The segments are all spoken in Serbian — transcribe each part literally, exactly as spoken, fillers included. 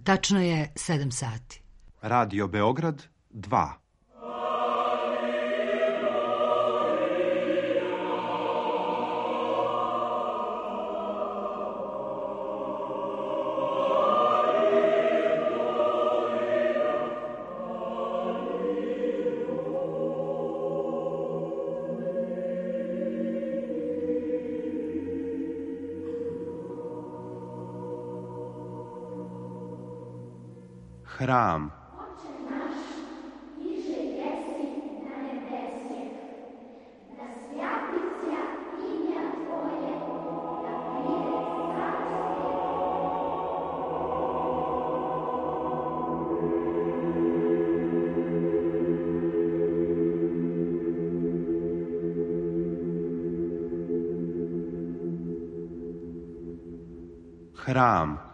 Tačno je sedam sati. Radio Beograd dva. Hram. Hram.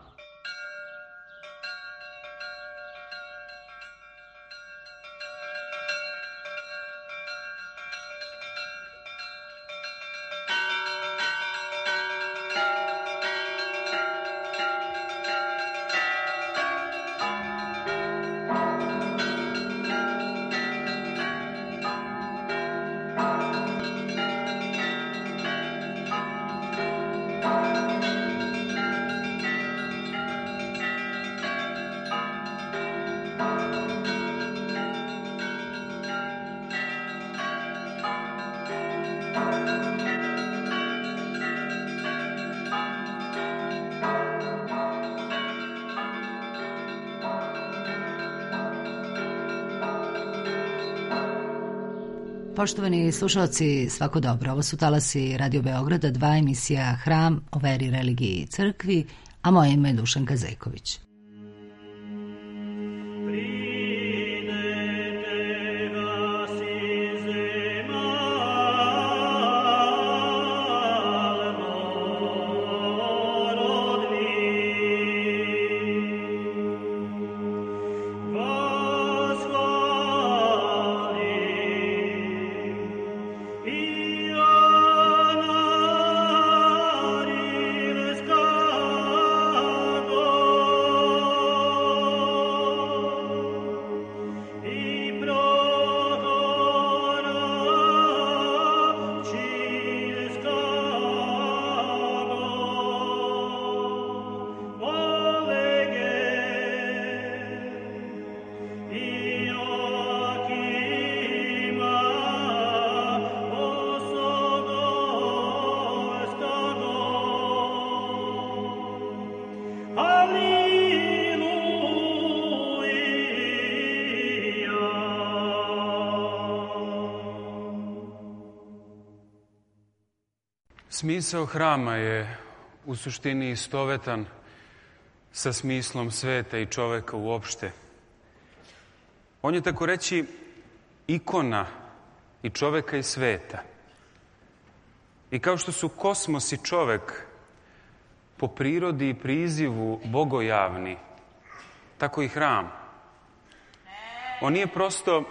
Poštovani slušalci, svako dobro. Ovo su talasi Radio Beograda, dva emisija Hram o veri, religiji i crkvi, a moje ime je Dušanka Zeković. Smisao hrama je u suštini istovetan sa smislom sveta i čoveka uopšte. On je, tako reći, ikona i čoveka i sveta. I kao što su kosmos i čovek po prirodi i prizivu bogojavni, tako i hram. On nije prosto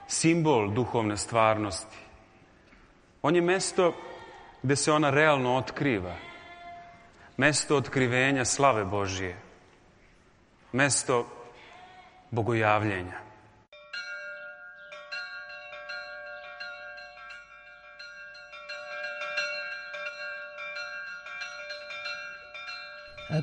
simbol duhovne stvarnosti. On je mesto gde se ona realno otkriva. Mesto otkrivenja slave Božije. Mesto bogojavljenja.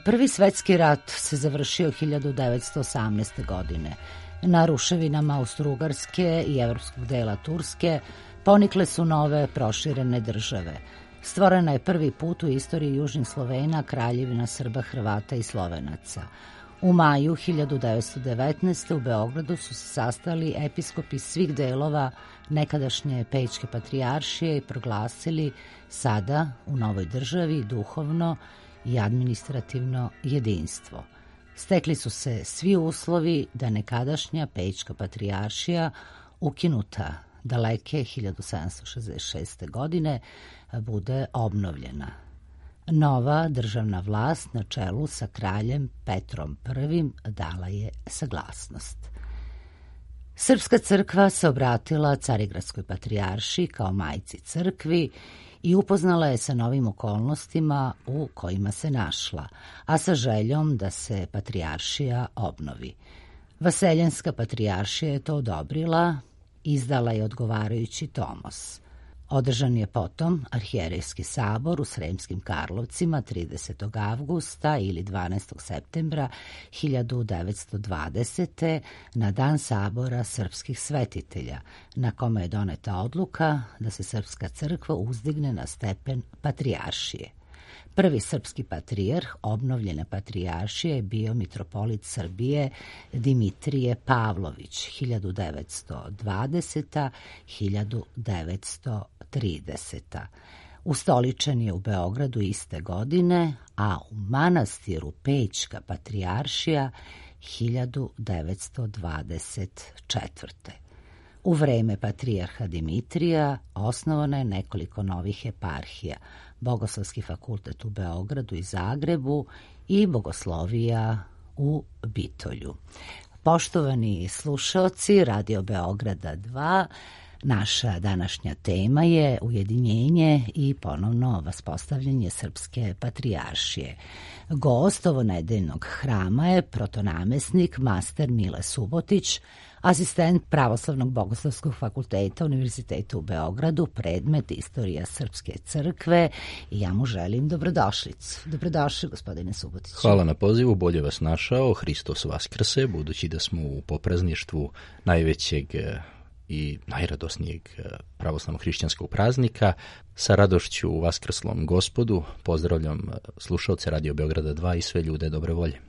Prvi svetski rat se završio hiljadu devetsto osamnaeste. godine. Na ruševinama Austro-Ugarske i evropskog dela Turske ponikle su nove proširene države. Stvorena je prvi put u istoriji južnih Slovena kraljevina Srba, Hrvata i Slovenaca. U maju hiljadu devetsto devetnaeste. u Beogradu su se sastali episkopi svih delova nekadašnje Pećke patrijaršije i proglasili sada u novoj državi duhovno i administrativno jedinstvo. Stekli su se svi uslovi da nekadašnja Pećka patrijaršija, ukinuta daleke hiljadu sedamsto šezdeset šeste. godine, bude obnovljena. Nova državna vlast na čelu sa kraljem Petrom Prvim dala je saglasnost. Srpska crkva se obratila Carigradskoj patrijaršiji kao majci crkvi i upoznala je sa novim okolnostima u kojima se našla, a sa željom da se patrijaršija obnovi. Vaseljenska patrijaršija je to odobrila, izdala je odgovarajući tomos. Održan je potom arhijerejski sabor u Sremskim Karlovcima tridesetog avgusta ili dvanaestog septembra hiljadu devetsto dvadesete. na dan sabora srpskih svetitelja, na kome je doneta odluka da se Srpska crkva uzdigne na stepen patrijaršije. Prvi srpski patrijarh obnovljene patrijaršije je bio mitropolit Srbije Dimitrije Pavlović hiljadu devetsto dvadesete. do hiljadu devetsto tridesete. Ustoličen je u Beogradu iste godine, a u manastiru Pećka patrijaršija hiljadu devetsto dvadeset četvrte. U vreme patrijarha Dimitrija osnovano je nekoliko novih eparhija, Bogoslovski fakultet u Beogradu i Zagrebu i Bogoslovija u Bitolju. Poštovani slušaoci Radio Beograda dva, naša današnja tema je ujedinjenje i ponovno vaspostavljanje Srpske patrijaršije. Gost ovonedeljnog hrama je protonamesnik master Mile Subotić, asistent Pravoslavnog bogoslovskog fakulteta Univerziteta u Beogradu, predmet Istorija Srpske crkve, i ja mu želim dobrodošlicu. Dobrodošli, gospodine Subotić. Hvala na pozivu, bolje vas našao, Hristos Vaskrse, budući da smo u poprazništvu najvećeg i najradosnijeg pravoslavnog hrišćanskog praznika. Sa radošću u Vaskrslom Gospodu pozdravljam slušalce Radio Beograda dva i sve ljude dobre volje.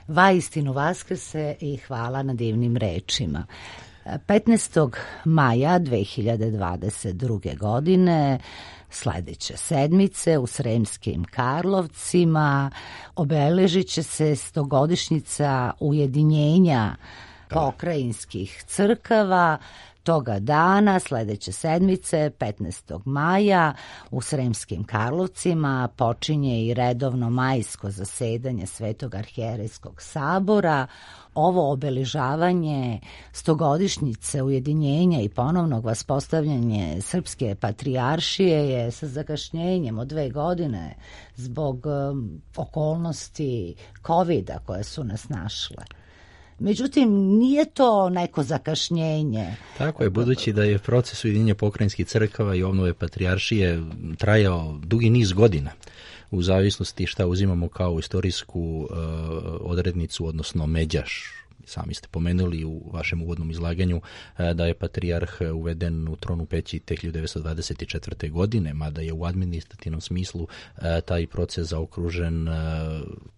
Vaistinu Vaskrse i hvala na divnim rečima. petnaestog maja dve hiljade dvadeset druge. godine, sledeće sedmice u Sremskim Karlovcima, obeležit će se stogodišnjica ujedinjenja pokrajinskih crkava. Toga dana, sledeće sedmice, petnaestog maja, u Sremskim Karlovcima počinje i redovno majsko zasedanje Svetog arhijerejskog sabora. Ovo obeležavanje stogodišnjice ujedinjenja i ponovnog vaspostavljanje Srpske patrijaršije je sa zakašnjenjem od dve godine zbog um, okolnosti kovida koje su nas našle. Međutim, nije to neko zakašnjenje. Tako je, budući da je proces ujedinjenja pokrajinskih crkava i obnove patrijaršije trajao dugi niz godina, u zavisnosti šta uzimamo kao istorijsku uh, odrednicu, odnosno međaš. Sami ste pomenuli u vašem uvodnom izlaganju uh, da je patrijarh uveden u tron u Peći te hiljadu devetsto dvadeset četvrte. godine, mada je u administrativnom smislu uh, taj proces zaokružen uh,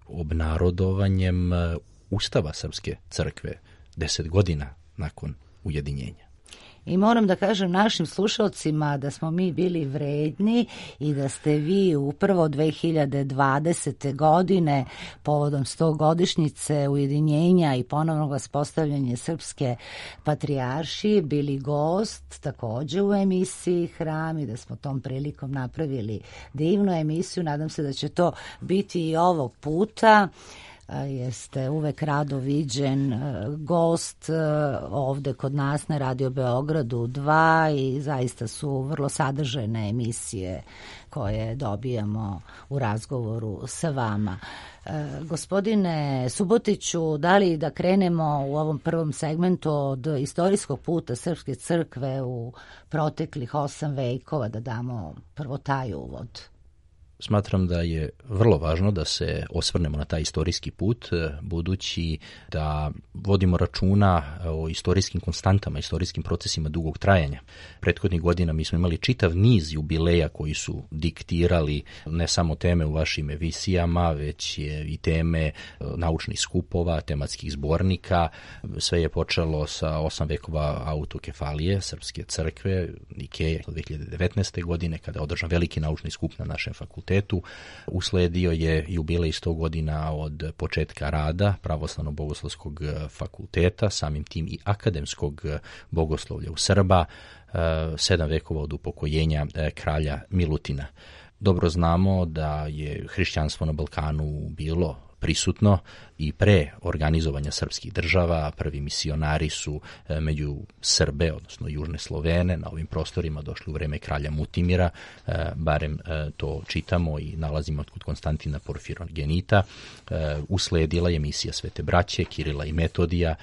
obnarodovanjem uh, Ustava Srpske crkve deset godina nakon ujedinjenja. I moram da kažem našim slušalcima da smo mi bili vredni i da ste vi upravo dve hiljade dvadesete. godine povodom stogodišnjice ujedinjenja i ponovnog vaspostavljanja Srpske patrijaršije bili gost takođe u emisiji Hram i da smo tom prilikom napravili divnu emisiju. Nadam se da će to biti i ovog puta. Jeste uvek rado viđen gost ovde kod nas na Radio Beogradu dva i zaista su vrlo sadržajne emisije koje dobijamo u razgovoru sa vama. Gospodine Subotiću, da li da krenemo u ovom prvom segmentu od istorijskog puta Srpske crkve u proteklih osam vekova, da damo prvo taj uvod? Smatram da je vrlo važno da se osvrnemo na taj istorijski put, budući da vodimo računa o istorijskim konstantama, istorijskim procesima dugog trajanja. Prethodnih godina mi smo imali čitav niz jubileja koji su diktirali ne samo teme u vašim emisijama, već je i teme naučnih skupova, tematskih zbornika. Sve je počelo sa osam vekova autokefalije Srpske crkve, Nikeje, dve hiljade devetnaeste. godine, kada je održan veliki naučni skup na našem fakultetu. Usledio je jubilej sto godina od početka rada Pravoslavno-bogoslovskog fakulteta, samim tim i akademskog bogoslovlja u Srba, sedam vekova od upokojenja kralja Milutina. Dobro znamo da je hrišćanstvo na Balkanu bilo prisutno i pre organizovanja srpskih država. Prvi misionari su među Srbe, odnosno južne Slovene, na ovim prostorima došli u vreme kralja Mutimira, barem to čitamo i nalazimo kod Konstantina Porfirogenita. Usledila je misija Svete braće, Kirila i Metodija,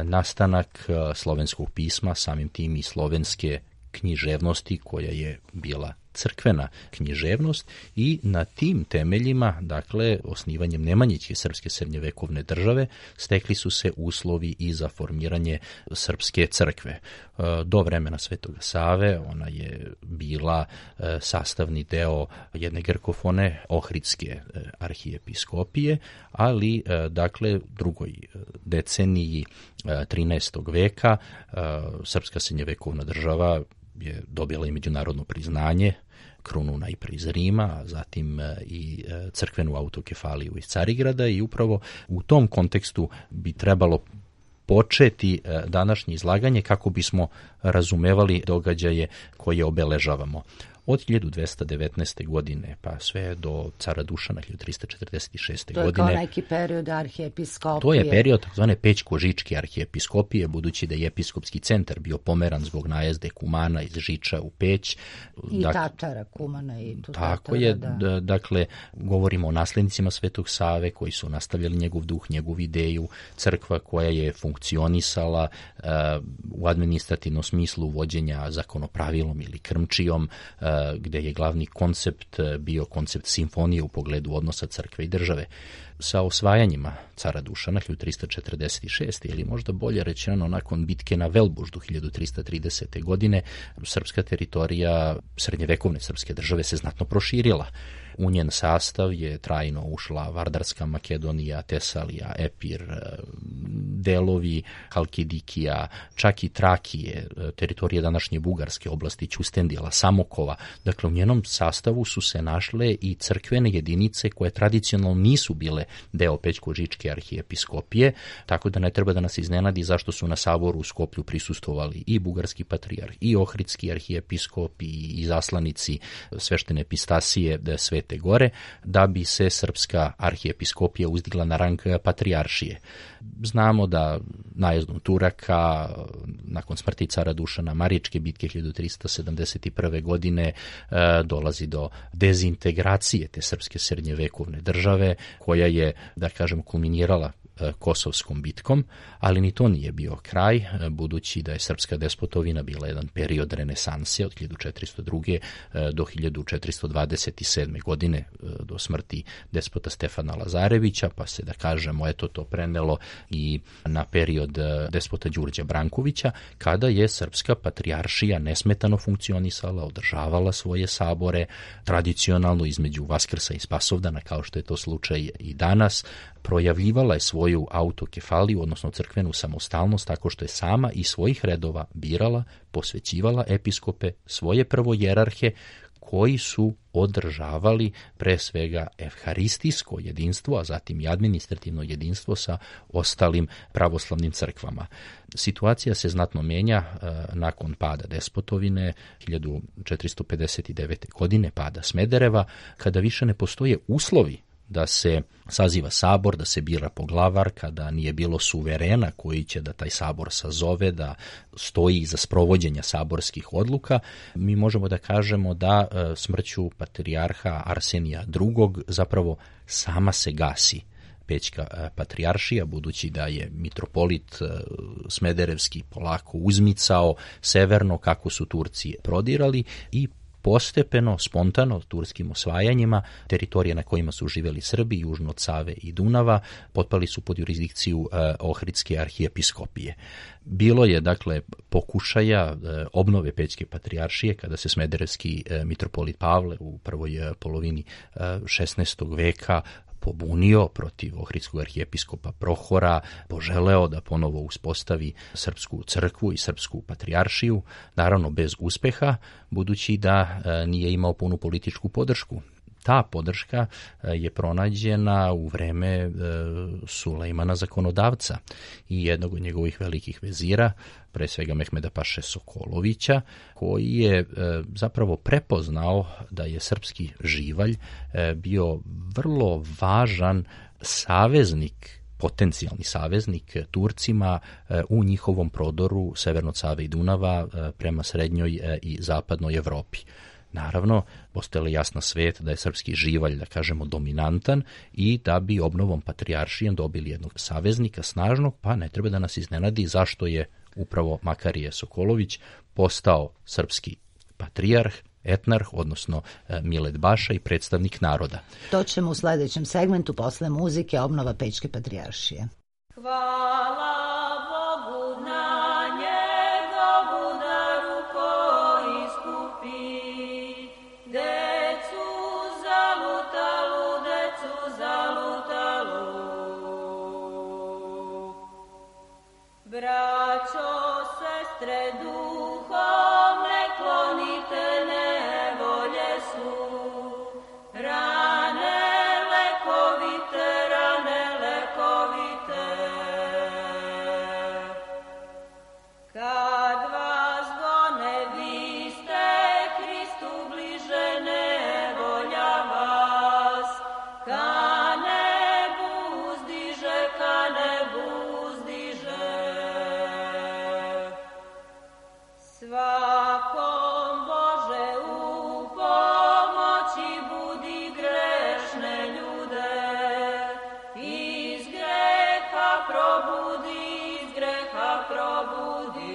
nastanak slovenskog pisma, samim tim i slovenske književnosti koja je bila crkvena književnost, i na tim temeljima, dakle, osnivanjem Nemanjićke srpske srednjevekovne države, stekli su se uslovi i za formiranje srpske crkve. Do vremena Svetoga Save ona je bila sastavni deo jedne grkofone Ohridske arhijepiskopije, ali, dakle, drugoj deceniji trinaestog veka srpska srednjevekovna država je dobila i međunarodno priznanje, krunu najpre iz Rima, a zatim i crkvenu autokefaliju iz Carigrada, i upravo u tom kontekstu bi trebalo početi današnje izlaganje kako bismo razumevali događaje koje obeležavamo. Od hiljadu dvesta devetnaeste. godine pa sve do cara Dušana hiljadu trista četrdeset šeste. godine. To je kao neki period arhijepiskopije. To je period takozvane Pećko-Žičke arhijepiskopije, budući da je episkopski centar bio pomeran zbog najezde Kumana iz Žiča u Peć. I dak... Tatara, Kumana i tu Tako Tatara, je, da. Dakle, govorimo o naslednicima Svetog Save koji su nastavljali njegov duh, njegovu ideju, crkva koja je funkcionisala uh, u administrativnom smislu vođenja zakonopravilom ili krmčijom, uh, gde je glavni koncept bio koncept simfonije u pogledu odnosa crkve i države. Sa osvajanjima cara Dušana hiljadu trista četrdeset šeste. ili možda bolje rečeno nakon bitke na Velbuždu hiljadu trista tridesete. godine, srpska teritorija srednjevekovne srpske države se znatno proširila. U njen sastav je trajno ušla Vardarska Makedonija, Tesalija, Epir, delovi Halkidikija, čak i Trakije, teritorije današnje Bugarske oblasti, Ćustendila, Samokova. Dakle, u njenom sastavu su se našle i crkvene jedinice koje tradicionalno nisu bile deo Pećko-Žičke arhijepiskopije, tako da ne treba da nas iznenadi zašto su na saboru u Skoplju prisustvovali i bugarski patrijarh, i ohridski arhijepiskop, i izaslanici sveštene epistasije Svete Gore, da bi se srpska arhijepiskopija uzdigla na rang patrijaršije. Znamo da najezdom Turaka, nakon smrti cara Dušana, Maričke bitke hiljadu trista sedamdeset prve. godine, dolazi do dezintegracije te srpske srednjevekovne države, koja je, da kažem, kulminirala Kosovskom bitkom, ali ni to nije bio kraj, budući da je srpska despotovina bila jedan period renesanse od hiljadu četiristo druge. do hiljadu četiristo dvadeset sedme. godine, do smrti despota Stefana Lazarevića, pa se, da kažemo, eto to prenelo i na period despota Đurđa Brankovića, kada je srpska patrijaršija nesmetano funkcionisala, održavala svoje sabore, tradicionalno između Vaskrsa i Spasovdana, kao što je to slučaj i danas, projavljivala je svoju autokefaliju, odnosno crkvenu samostalnost, tako što je sama iz svojih redova birala, posvećivala episkope, svoje prvojerarhe, koji su održavali pre svega evharistijsko jedinstvo, a zatim i administrativno jedinstvo sa ostalim pravoslavnim crkvama. Situacija se znatno menja e, nakon pada despotovine hiljadu četiristo pedeset devete. godine, pada Smedereva, kada više ne postoje uslovi da se saziva sabor, da se bira poglavar, kada nije bilo suverena koji će da taj sabor sazove, da stoji iza sprovođenja saborskih odluka. Mi možemo da kažemo da e, smrću patrijarha Arsenija drugog. zapravo sama se gasi Pećka patrijaršija, budući da je mitropolit Smederevski polako uzmicao severno kako su Turci prodirali, i postepeno, spontano, turskim osvajanjima, teritorije na kojima su živeli Srbi, južno od Save i Dunava, potpali su pod jurisdikciju eh, Ohridske arhijepiskopije. Bilo je, dakle, pokušaja eh, obnove Pećke patrijaršije, kada se smederevski eh, mitropolit Pavle u prvoj eh, polovini eh, šesnaestog. veka pobunio protiv ohridskog arhijepiskopa Prohora, poželeo da ponovo uspostavi srpsku crkvu i srpsku patrijaršiju, naravno bez uspeha, budući da e, nije imao punu političku podršku. Ta podrška je pronađena u vreme e, Sulejmana zakonodavca i jednog od njegovih velikih vezira, pre svega Mehmeda Paše Sokolovića, koji je e, zapravo prepoznao da je srpski živalj e, bio vrlo važan saveznik, potencijalni saveznik Turcima u njihovom prodoru severno od Save i Dunava prema srednjoj i zapadnoj Evropi. Naravno, postojala jasna svet da je srpski živalj, da kažemo, dominantan i da bi obnovom patrijaršijem dobili jednog saveznika snažnog, pa ne treba da nas iznenadi zašto je upravo Makarije Sokolović postao srpski patrijarh, etnarh, odnosno Milet Baša i predstavnik naroda. To ćemo u sledećem segmentu posle muzike obnova Pečke patrijaršije. Hvala Bogu na njegovu daru koji iskupi decu zalutalu, decu zalutalu. Braćo, sestre, duhom ne klonite, nevolje su rane lekovite, rane lekovite. Kad vas gone, vi ste Hristu bliže, nevolja vas ka nebu uzdiže, ka nebu uzdiže. Svakom Bože u pomoći budi grešne ljude, iz greha probudi, iz greha probudi.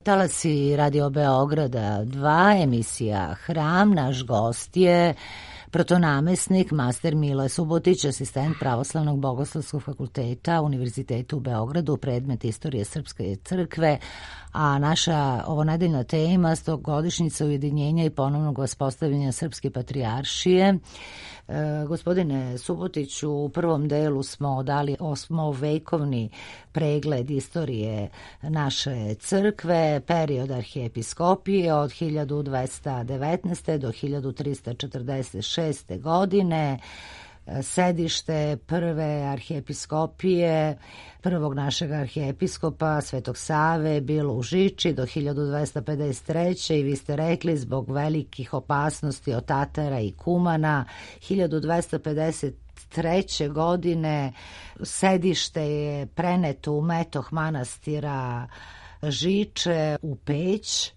Talasi Radio Beograda dva, emisija Hram, naš gost je protonamesnik, master Mile Subotić, asistent Pravoslavnog bogoslovskog fakulteta Univerziteta u Beogradu, predmet istorije Srpske crkve, a naša ovonedeljna tema stogodišnjica ujedinjenja i ponovnog uspostavljanja Srpske patrijaršije. E, gospodine Subotiću, u prvom delu smo dali osmovekovni pregled istorije naše crkve, period arhijepiskopije od hiljadu dvesta devetnaeste. do hiljadu trista četrdeset šeste. godine, sedište prve arhijepiskopije, prvog našeg arhijepiskopa Svetog Save bilo u Žiči do hiljadu dvesta pedeset treće. i vi ste rekli zbog velikih opasnosti od Tatara i Kumana hiljadu dvesta pedeset treće. godine sedište je preneto u metoh manastira Žiče u Peć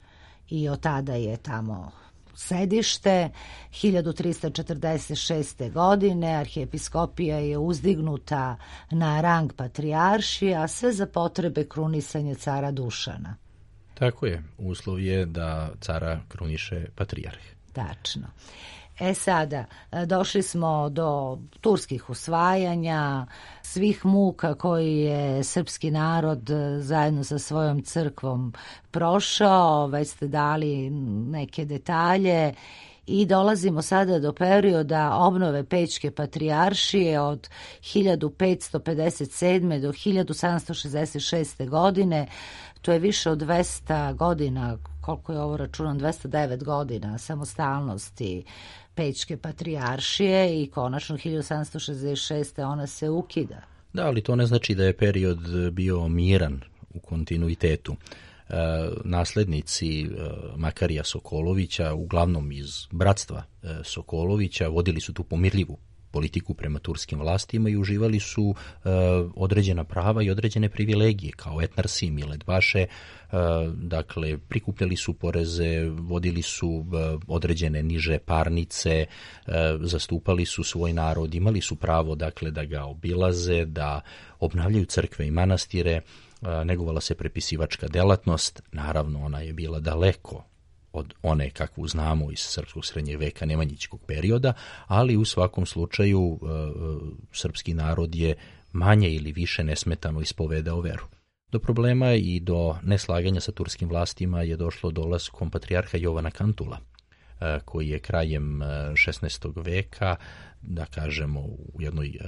i od tada je tamo sedište. hiljadu trista četrdeset šeste. godine arhijepiskopija je uzdignuta na rang patrijaršije, a sve za potrebe krunisanja cara Dušana. Tako je, uslov je da cara kruniše patrijarh. Tačno. E sada, došli smo do turskih usvajanja, svih muka koji je srpski narod zajedno sa svojom crkvom prošao, već ste dali neke detalje i dolazimo sada do perioda obnove Pečke patrijaršije od hiljadu petsto pedeset sedme. do hiljadu sedamsto šezdeset šeste. godine. To je više od dvesta godina, koliko je ovo računom, dvesta devet godina samostalnosti Pečke patrijaršije i konačno hiljadu sedamsto šezdeset šeste. ona se ukida. Da, ali to ne znači da je period bio miran u kontinuitetu. E, naslednici e, Makarija Sokolovića, uglavnom iz bratstva e, Sokolovića, vodili su tu pomirljivu politiku prema turskim vlastima i uživali su e, određena prava i određene privilegije kao etnarsi Milet Baše, e, dakle prikupljali su poreze, vodili su e, određene niže parnice, e, zastupali su svoj narod, imali su pravo dakle da ga obilaze, da obnavljaju crkve i manastire, e, negovala se prepisivačka delatnost, naravno ona je bila daleko od one kakvu znamo iz srpskog srednjeg veka nemanjićkog perioda, ali u svakom slučaju e, srpski narod je manje ili više nesmetano ispovedao veru. Do problema i do neslaganja sa turskim vlastima je došlo dolaskom patrijarha Jovana Kantula, e, koji je krajem šesnaestog veka, da kažemo u jednoj e,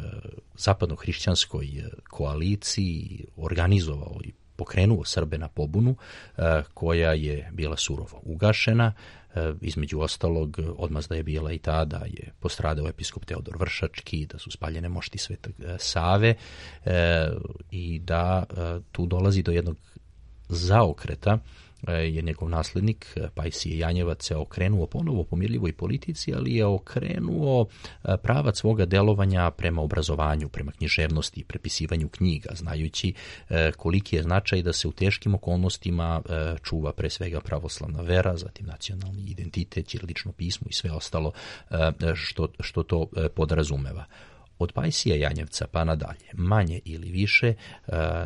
zapadno-hrišćanskoj koaliciji organizovao i pokrenuo Srbe na pobunu koja je bila surovo ugašena. Između ostalog, odmazda je bila i ta da je postradao episkop Teodor Vršački, da su spaljene mošti Svetog Save i da tu dolazi do jednog zaokreta je njegov naslednik Pajsije Janjevac se okrenuo ponovo pomirljivoj politici, ali je okrenuo pravac svoga delovanja prema obrazovanju, prema književnosti i prepisivanju knjiga, znajući koliki je značaj da se u teškim okolnostima čuva pre svega pravoslavna vera, zatim nacionalni identitet, ćirilično pismo i sve ostalo što, što to podrazumeva. Od Pajsija Janjevca pa nadalje, manje ili više, e,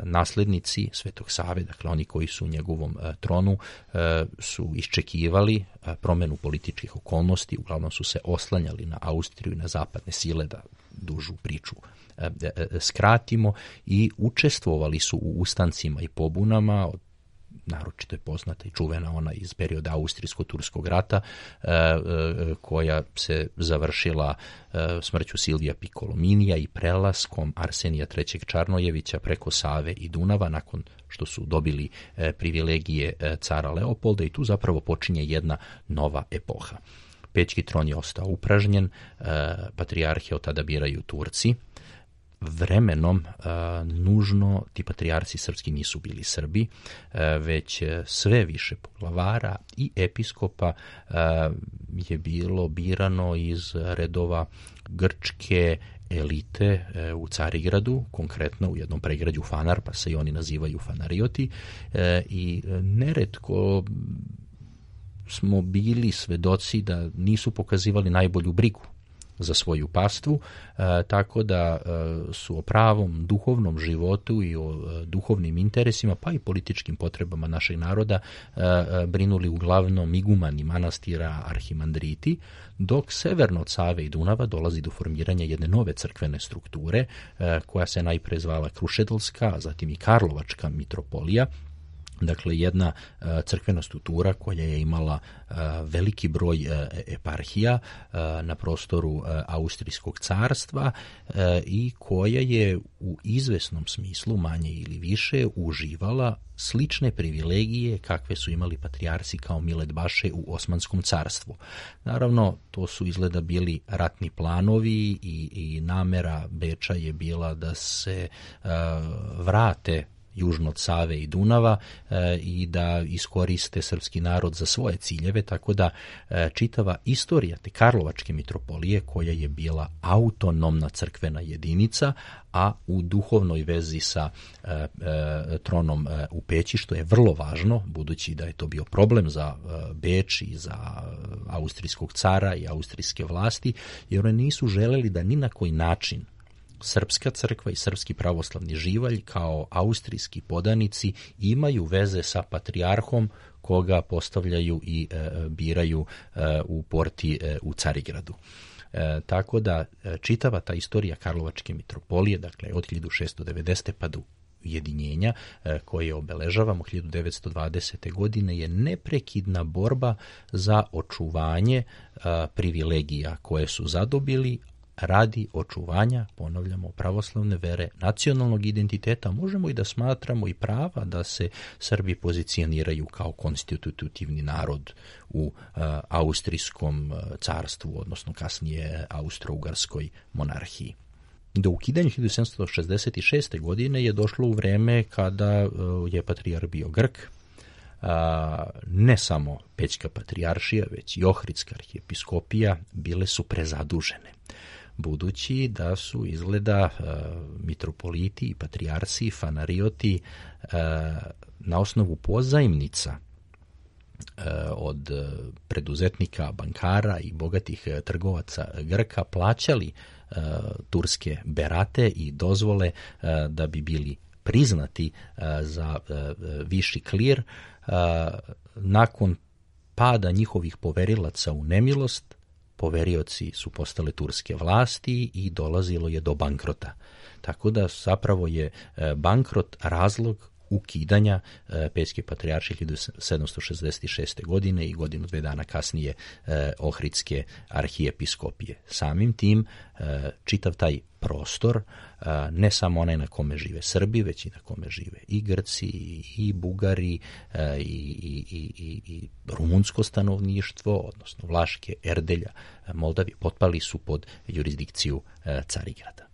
naslednici Svetog Save, dakle oni koji su u njegovom e, tronu, e, su iščekivali e, promenu političkih okolnosti, uglavnom su se oslanjali na Austriju i na zapadne sile, da dužu priču e, e, skratimo, i učestvovali su u ustancima i pobunama. Naročito je poznata i čuvena ona iz perioda Austrijsko-Turskog rata, e, e, koja se završila e, smrću Silvija Picolominija i prelaskom Arsenija trećeg Čarnojevića preko Save i Dunava, nakon što su dobili e, privilegije e, cara Leopolda, i tu zapravo počinje jedna nova epoha. Pećki tron je ostao upražnjen, e, patrijarhe od tada biraju Turci. Vremenom a, nužno ti patrijarsi srpski nisu bili Srbi, a, već sve više poglavara i episkopa a, je bilo birano iz redova grčke elite a, u Carigradu, konkretno u jednom pregrađu Fanar, pa se i oni nazivaju Fanarioti, a, i neretko smo bili svedoci da nisu pokazivali najbolju brigu za svoju pastvu, e, tako da e, su o pravom duhovnom životu i o e, duhovnim interesima, pa i političkim potrebama našeg naroda e, e, brinuli uglavnom igumani manastira, arhimandriti, dok severno od Save i Dunava dolazi do formiranja jedne nove crkvene strukture, e, koja se najpre zvala Krušedolska, a zatim i Karlovačka mitropolija. Dakle, jedna uh, crkvena struktura koja je imala uh, veliki broj uh, eparhija uh, na prostoru uh, Austrijskog carstva uh, i koja je u izvesnom smislu, manje ili više, uživala slične privilegije kakve su imali patrijarsi kao Milet Baše u Osmanskom carstvu. Naravno, to su izgleda bili ratni planovi i, i namera Beča je bila da se uh, vrate južno od Save i Dunava e, i da iskoriste srpski narod za svoje ciljeve, tako da e, čitava istorija te Karlovačke mitropolije, koja je bila autonomna crkvena jedinica, a u duhovnoj vezi sa e, e, tronom e, u Peći, što je vrlo važno, budući da je to bio problem za e, Beč i za austrijskog cara i austrijske vlasti, jer oni nisu želeli da ni na koji način Srpska crkva i srpski pravoslavni živalj kao austrijski podanici imaju veze sa patrijarhom koga postavljaju i e, biraju e, u porti e, u Carigradu. E, tako da e, čitava ta istorija Karlovačke mitropolije, dakle od hiljadu šessto devedesete pa do ujedinjenja e, koje obeležavamo hiljadu devetsto dvadesete godine, je neprekidna borba za očuvanje e, privilegija koje su zadobili radi očuvanja, ponavljamo, pravoslavne vere, nacionalnog identiteta. Možemo i da smatramo i prava da se Srbi pozicioniraju kao konstitutivni narod u uh, austrijskom uh, carstvu, odnosno kasnije austro-ugarskoj monarhiji. Do ukidanja hiljadu sedamsto šezdeset šeste godine je došlo u vreme kada uh, je patrijarh bio Grk. Uh, ne samo Pećka patrijaršija, već i Ohridska arhijepiskopija bile su prezadužene, budući da su izgleda uh, mitropoliti i patrijarsi, fanarioti uh, na osnovu pozajmnica uh, od preduzetnika, bankara i bogatih uh, trgovaca Grka plaćali uh, turske berate i dozvole uh, da bi bili priznati uh, za uh, viši klir. Uh, nakon pada njihovih poverilaca u nemilost, poverioci su postale turske vlasti i dolazilo je do bankrota. Tako da zapravo je bankrot razlog ukidanja Pećke patrijaršije hiljadu sedamsto šezdeset šeste godine i godinu dve dana kasnije Ohridske arhijepiskopije. Samim tim čitav taj prostor, ne samo onaj na kome žive Srbi, već i na kome žive i Grci, i Bugari, i, i, i, i rumunsko stanovništvo, odnosno Vlaške, Erdelja, Moldavije, potpali su pod jurisdikciju Carigrada.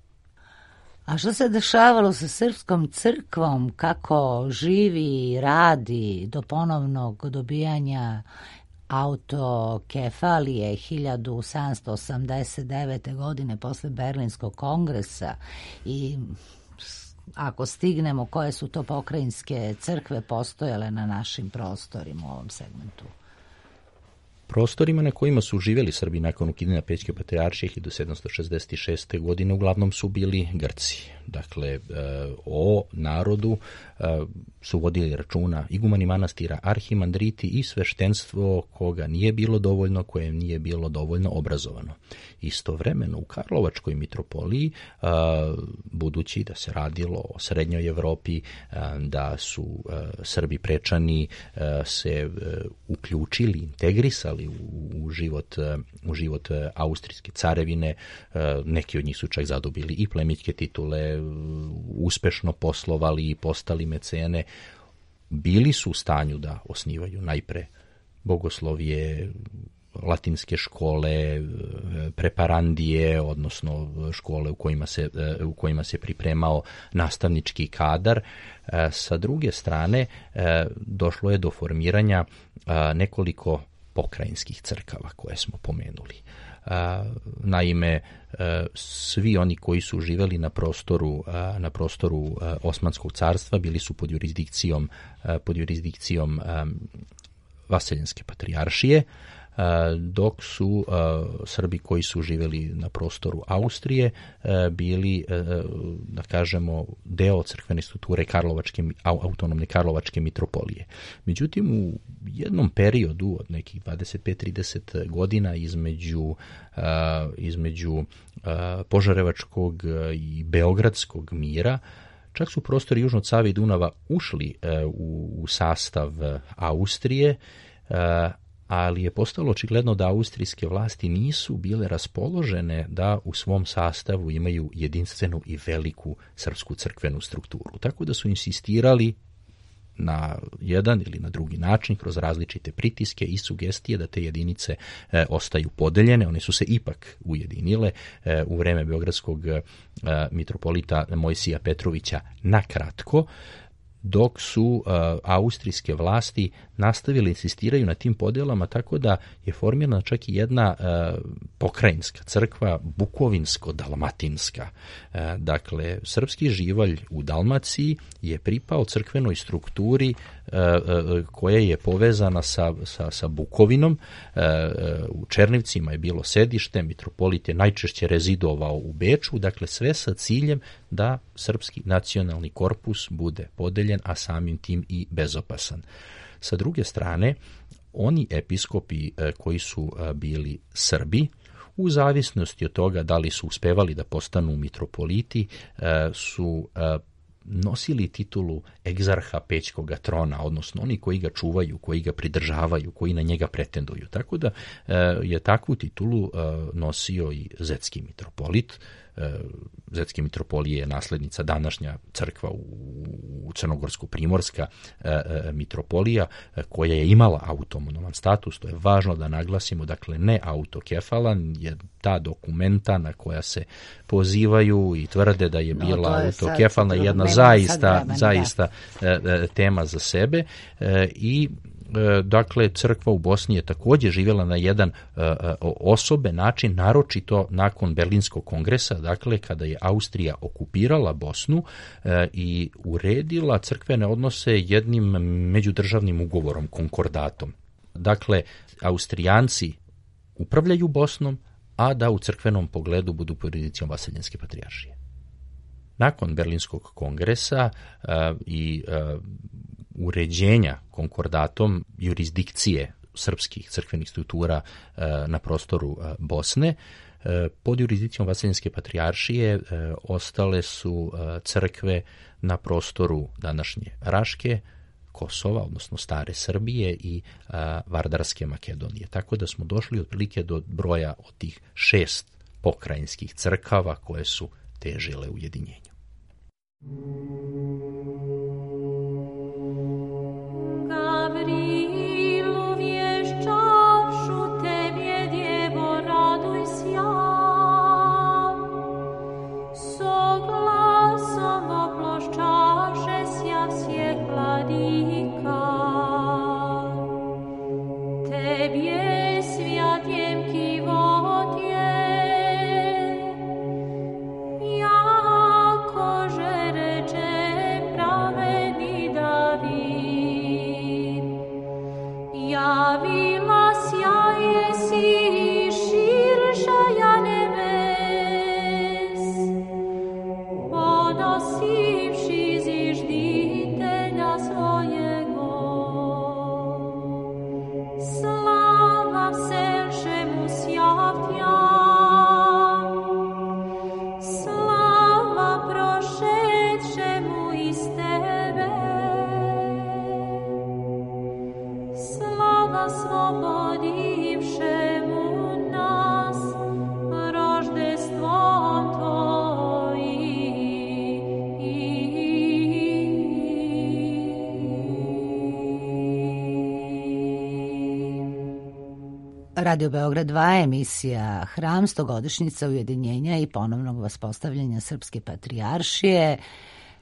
A što se dešavalo sa srpskom crkvom, kako živi, radi do ponovnog dobijanja autokefalije hiljadu sedamsto osamdeset devete. godine posle Berlinskog kongresa i ako stignemo koje su to pokrajinske crkve postojale na našim prostorima u ovom segmentu? Prostorima na kojima su živjeli Srbi nakon ukidanja Pećke patrijaršije hiljadu sedamsto šezdeset šeste. godine uglavnom su bili Grci. Dakle, o narodu su vodili računa igumani manastira, arhimandriti i sveštenstvo koga nije bilo dovoljno, koje nije bilo dovoljno obrazovano. Istovremeno u Karlovačkoj mitropoliji, budući da se radilo o srednjoj Evropi, da su Srbi prečani se uključili, integrisali u život, u život austrijske carevine, neki od njih su čak zadobili i plemićke titule, uspešno poslovali i postali mecene, bili su u stanju da osnivaju najpre bogoslovije, latinske škole, preparandije, odnosno škole u kojima se, u kojima se pripremao nastavnički kadar. Sa druge strane, došlo je do formiranja nekoliko pokrajinskih crkava koje smo pomenuli. Naime, svi oni koji su živeli na prostoru, na prostoru Osmanskog carstva bili su pod jurisdikcijom, pod jurisdikcijom Vaseljenske patrijaršije, dok su Srbi koji su živjeli na prostoru Austrije bili, da kažemo, deo crkvene strukture Karlovačke, autonomne Karlovačke mitropolije. Međutim, u jednom periodu od nekih dvadeset pet do trideset godina između, između Požarevačkog i Beogradskog mira, čak su prostori južno od Save i Dunava ušli u, u sastav Austrije, ali je postalo očigledno da austrijske vlasti nisu bile raspoložene da u svom sastavu imaju jedinstvenu i veliku srpsku crkvenu strukturu. Tako da su insistirali na jedan ili na drugi način kroz različite pritiske i sugestije da te jedinice e, ostaju podeljene. One su se ipak ujedinile e, u vreme beogradskog e, mitropolita Mojsija Petrovića na kratko, dok su uh, austrijske vlasti nastavili insistiraju na tim podelama, tako da je formirana čak i jedna uh, pokrajinska crkva, bukovinsko-dalmatinska. Uh, dakle, srpski živalj u Dalmaciji je pripao crkvenoj strukturi uh, uh, koja je povezana sa, sa, sa Bukovinom. Uh, u Černivcima je bilo sedište, mitropolit je najčešće rezidovao u Beču, dakle sve sa ciljem da srpski nacionalni korpus bude podeljen, a samim tim i bezopasan. Sa druge strane, oni episkopi koji su bili Srbi, u zavisnosti od toga da li su uspevali da postanu mitropoliti, su nosili titulu egzarha Pećkoga trona, odnosno oni koji ga čuvaju, koji ga pridržavaju, koji na njega pretenduju. Tako da je takvu titulu nosio i zetski mitropolit. Zetske mitropolije je naslednica današnja crkva u Crnogorsko-Primorska mitropolija, koja je imala autonoman status. To je važno da naglasimo, dakle ne autokefalan, je ta dokumenta na koja se pozivaju i tvrde da je bila no, je autokefalna jedna zaista, vremena, zaista da. tema za sebe i dakle, crkva u Bosni je također živjela na jedan uh, osoben način, naročito nakon Berlinskog kongresa, dakle, kada je Austrija okupirala Bosnu uh, i uredila crkvene odnose jednim međudržavnim ugovorom, konkordatom. Dakle, Austrijanci upravljaju Bosnom, a da u crkvenom pogledu budu pod jurisdikcijom Vaseljenske patrijaršije. Nakon Berlinskog kongresa uh, i uh, uređenja konkordatom jurisdikcije srpskih crkvenih struktura e, na prostoru e, Bosne, e, pod jurisdikcijom Vaseljenske patrijaršije e, ostale su e, crkve na prostoru današnje Raške, Kosova, odnosno stare Srbije i e, Vardarske Makedonije. Tako da smo došli otprilike do broja od tih šest pokrajinskih crkava koje su težile ujedinjenju. Gavrilu vješćavšu tebje, djevo, raduj sjav, so Radio Beograd dva, emisija Hram, stogodišnjica ujedinjenja i ponovnog vaspostavljanja Srpske patrijaršije.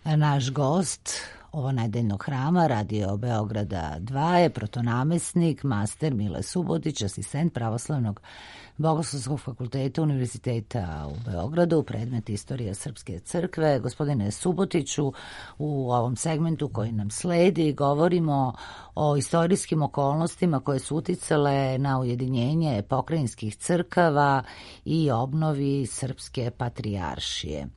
Naš gost ovo nedeljnog hrama Radio Beograda dva je protonamestnik, master Mile Subotić, asistent Pravoslavnog Bogoslovskog fakulteta Univerziteta u Beogradu, predmet Istorija Srpske crkve. Gospodine Subotiću, u ovom segmentu koji nam sledi govorimo o istorijskim okolnostima koje su uticale na ujedinjenje pokrajinskih crkava i obnovi Srpske patrijaršije.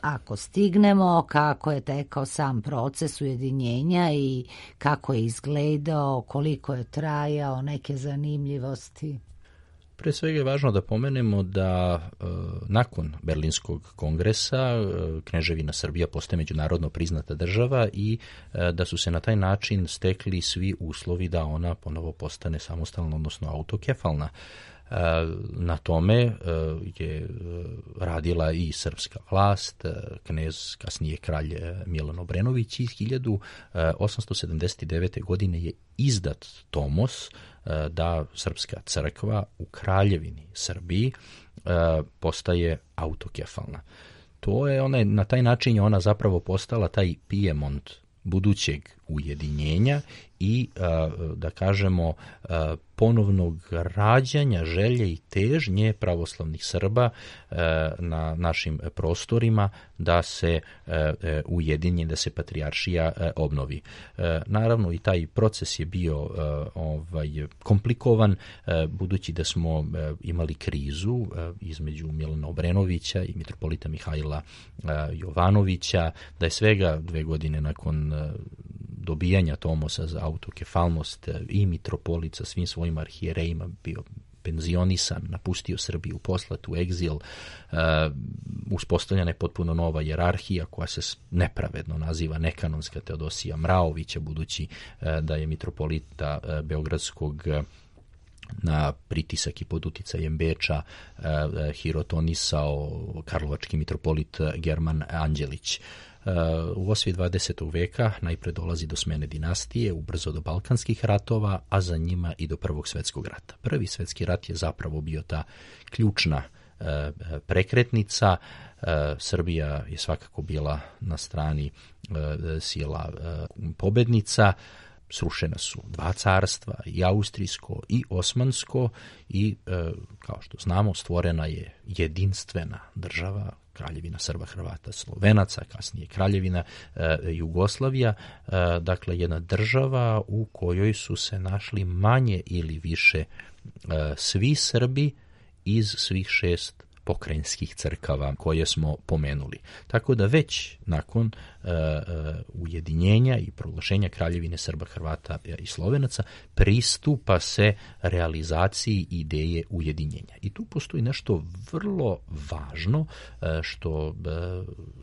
Ako stignemo, kako je tekao sam proces ujedinjenja i kako je izgledao, koliko je trajao, neke zanimljivosti? Pre svega je važno da pomenemo da e, nakon Berlinskog kongresa e, Kneževina Srbija postaje međunarodno priznata država i e, da su se na taj način stekli svi uslovi da ona ponovo postane samostalna, odnosno autokefalna. Na tome je radila i srpska vlast, knez, kasnije kralj Milan Obrenović, i hiljadu osamsto sedamdeset devete. godine je izdat tomos da Srpska crkva u Kraljevini Srbiji postaje autokefalna. To je ona, na taj način je ona zapravo postala taj Pijemont budućeg ujedinjenja i, da kažemo, ponovnog rađanja želje i težnje pravoslavnih Srba na našim prostorima da se ujedinje, da se patrijaršija obnovi. Naravno i taj proces je bio ovaj, komplikovan, budući da smo imali krizu između Milana Obrenovića i mitropolita Mihajla Jovanovića, da je svega dve godine nakon dobijanja tomosa za autokefalnost i mitropolit sa svim svojim arhijerejima bio penzionisan, napustio Srbiju, poslat u egzil, uh, uspostavljena je potpuno nova jerarhija koja se nepravedno naziva nekanonska Teodosija Mraovića, budući uh, da je mitropolita uh, Beogradskog uh, na pritisak i pod uticajem Beča uh, hirotonisao karlovački mitropolit German Anđelić. U osvi dvadesetog veka najpre dolazi do smene dinastije, ubrzo do balkanskih ratova, a za njima i do Prvog svetskog rata. Prvi svetski rat je zapravo bio ta ključna e, prekretnica. E, Srbija je svakako bila na strani e, sila e, pobednica. Srušena su dva carstva, i austrijsko i osmansko, i e, kao što znamo stvorena je jedinstvena država, Kraljevina Srba, Hrvata, Slovenaca, kasnije Kraljevina e, Jugoslavija, e, dakle jedna država u kojoj su se našli manje ili više e, svi Srbi iz svih šest pokrajinskih crkava koje smo pomenuli. Tako da već nakon uh, uh, ujedinjenja i proglašenja Kraljevine Srba, Hrvata i Slovenaca pristupa se realizaciji ideje ujedinjenja. I tu postoji nešto vrlo važno uh, što uh,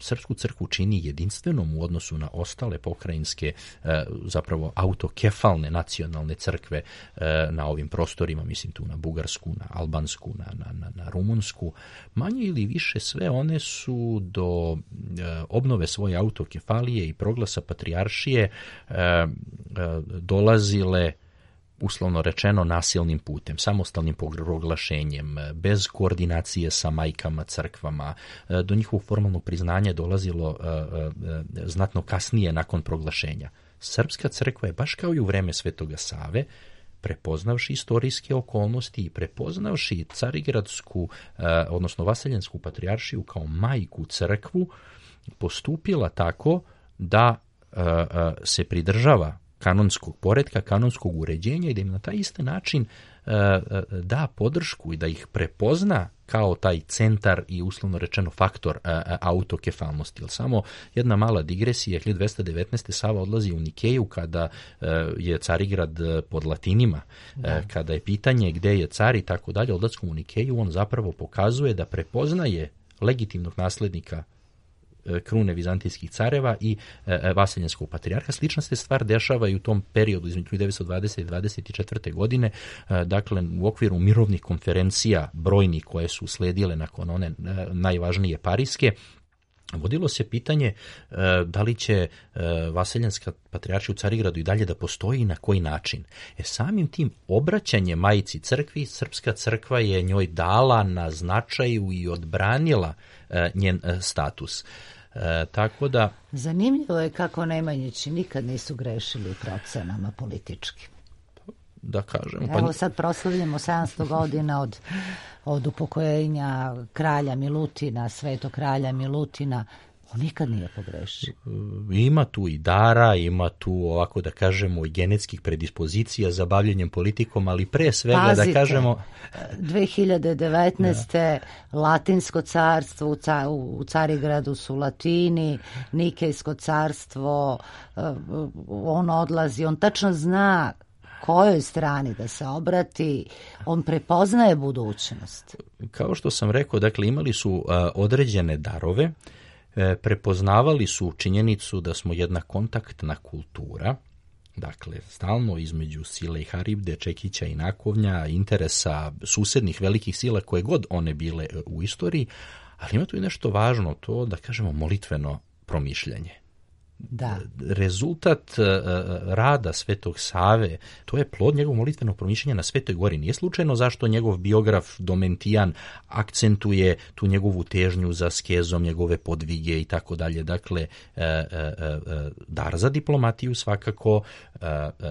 Srpsku crkvu čini jedinstvenom u odnosu na ostale pokrajinske, uh, zapravo autokefalne nacionalne crkve uh, na ovim prostorima, mislim tu na Bugarsku, na Albansku, na, na, na, na Rumunsku. Manje ili više sve one su do e, obnove svoje autokefalije i proglasa patrijaršije e, e, dolazile, uslovno rečeno, nasilnim putem, samostalnim proglašenjem, bez koordinacije sa majkama crkvama. E, do njihovog formalnog priznanja dolazilo e, e, znatno kasnije nakon proglašenja. Srpska crkva je, baš kao i u vreme Svetoga Save, prepoznavši istorijske okolnosti i prepoznavši Carigradsku, odnosno Vaseljensku patrijaršiju kao majku crkvu, postupila tako da se pridržava kanonskog poretka, kanonskog uređenja i da im na taj isti način da podršku i da ih prepozna kao taj centar i uslovno rečeno faktor autokefalnosti. Jer samo jedna mala digresija, hiljadu dvesta devetnaeste. Sava odlazi u Nikeju kada je Carigrad pod Latinima, da. Kada je pitanje gde je car i tako dalje, odlaskom u Nikeju on zapravo pokazuje da prepoznaje legitimnog naslednika krune vizantijskih careva i e, vaseljenskog patrijarha. Slična se stvar dešava i u tom periodu između hiljadu devetsto dvadesete i dvadeset četvrte. godine, e, dakle u okviru mirovnih konferencija brojnih koje su sledile nakon one e, najvažnije parijske, vodilo se pitanje da li će Vaseljenska patrijaršija u Carigradu i dalje da postoji i na koji način. E samim tim obraćanje Majici crkvi, Srpska crkva je njoj dala na značaju i odbranila njen status. E, tako da... Zanimljivo je kako Nemanjići nikad nisu grešili u procenama politički. Da kažem. Evo pa... sad proslavljamo sedamsto godina od, od upokojenja kralja Milutina, svetog kralja Milutina. On nikad nije pogrešio. Ima tu i dara, ima tu, ovako da kažemo, i genetskih predispozicija za bavljenjem politikom, ali pre svega Pazite, da kažemo... dve hiljade devetnaeste. Da. Latinsko carstvo, u, ca, u Carigradu su Latini, Nikejsko carstvo, on odlazi, on tačno zna kojoj strani da se obrati, on prepoznaje budućnost. Kao što sam rekao, dakle, imali su uh, određene darove, prepoznavali su činjenicu da smo jedna kontaktna kultura, dakle, stalno između Sile i Haribde, Čekića i Nakovnja, interesa susednih velikih sila koje god one bile u istoriji, ali ima tu i nešto važno, to da kažemo molitveno promišljanje. Da. Rezultat uh, rada Svetog Save, to je plod njegovog molitvenog promišljanja na Svetoj gori. Nije slučajno zašto njegov biograf Domentijan akcentuje tu njegovu težnju za skezom, njegove podvige i tako dalje. Dakle, uh, uh, dar za diplomatiju svakako, uh,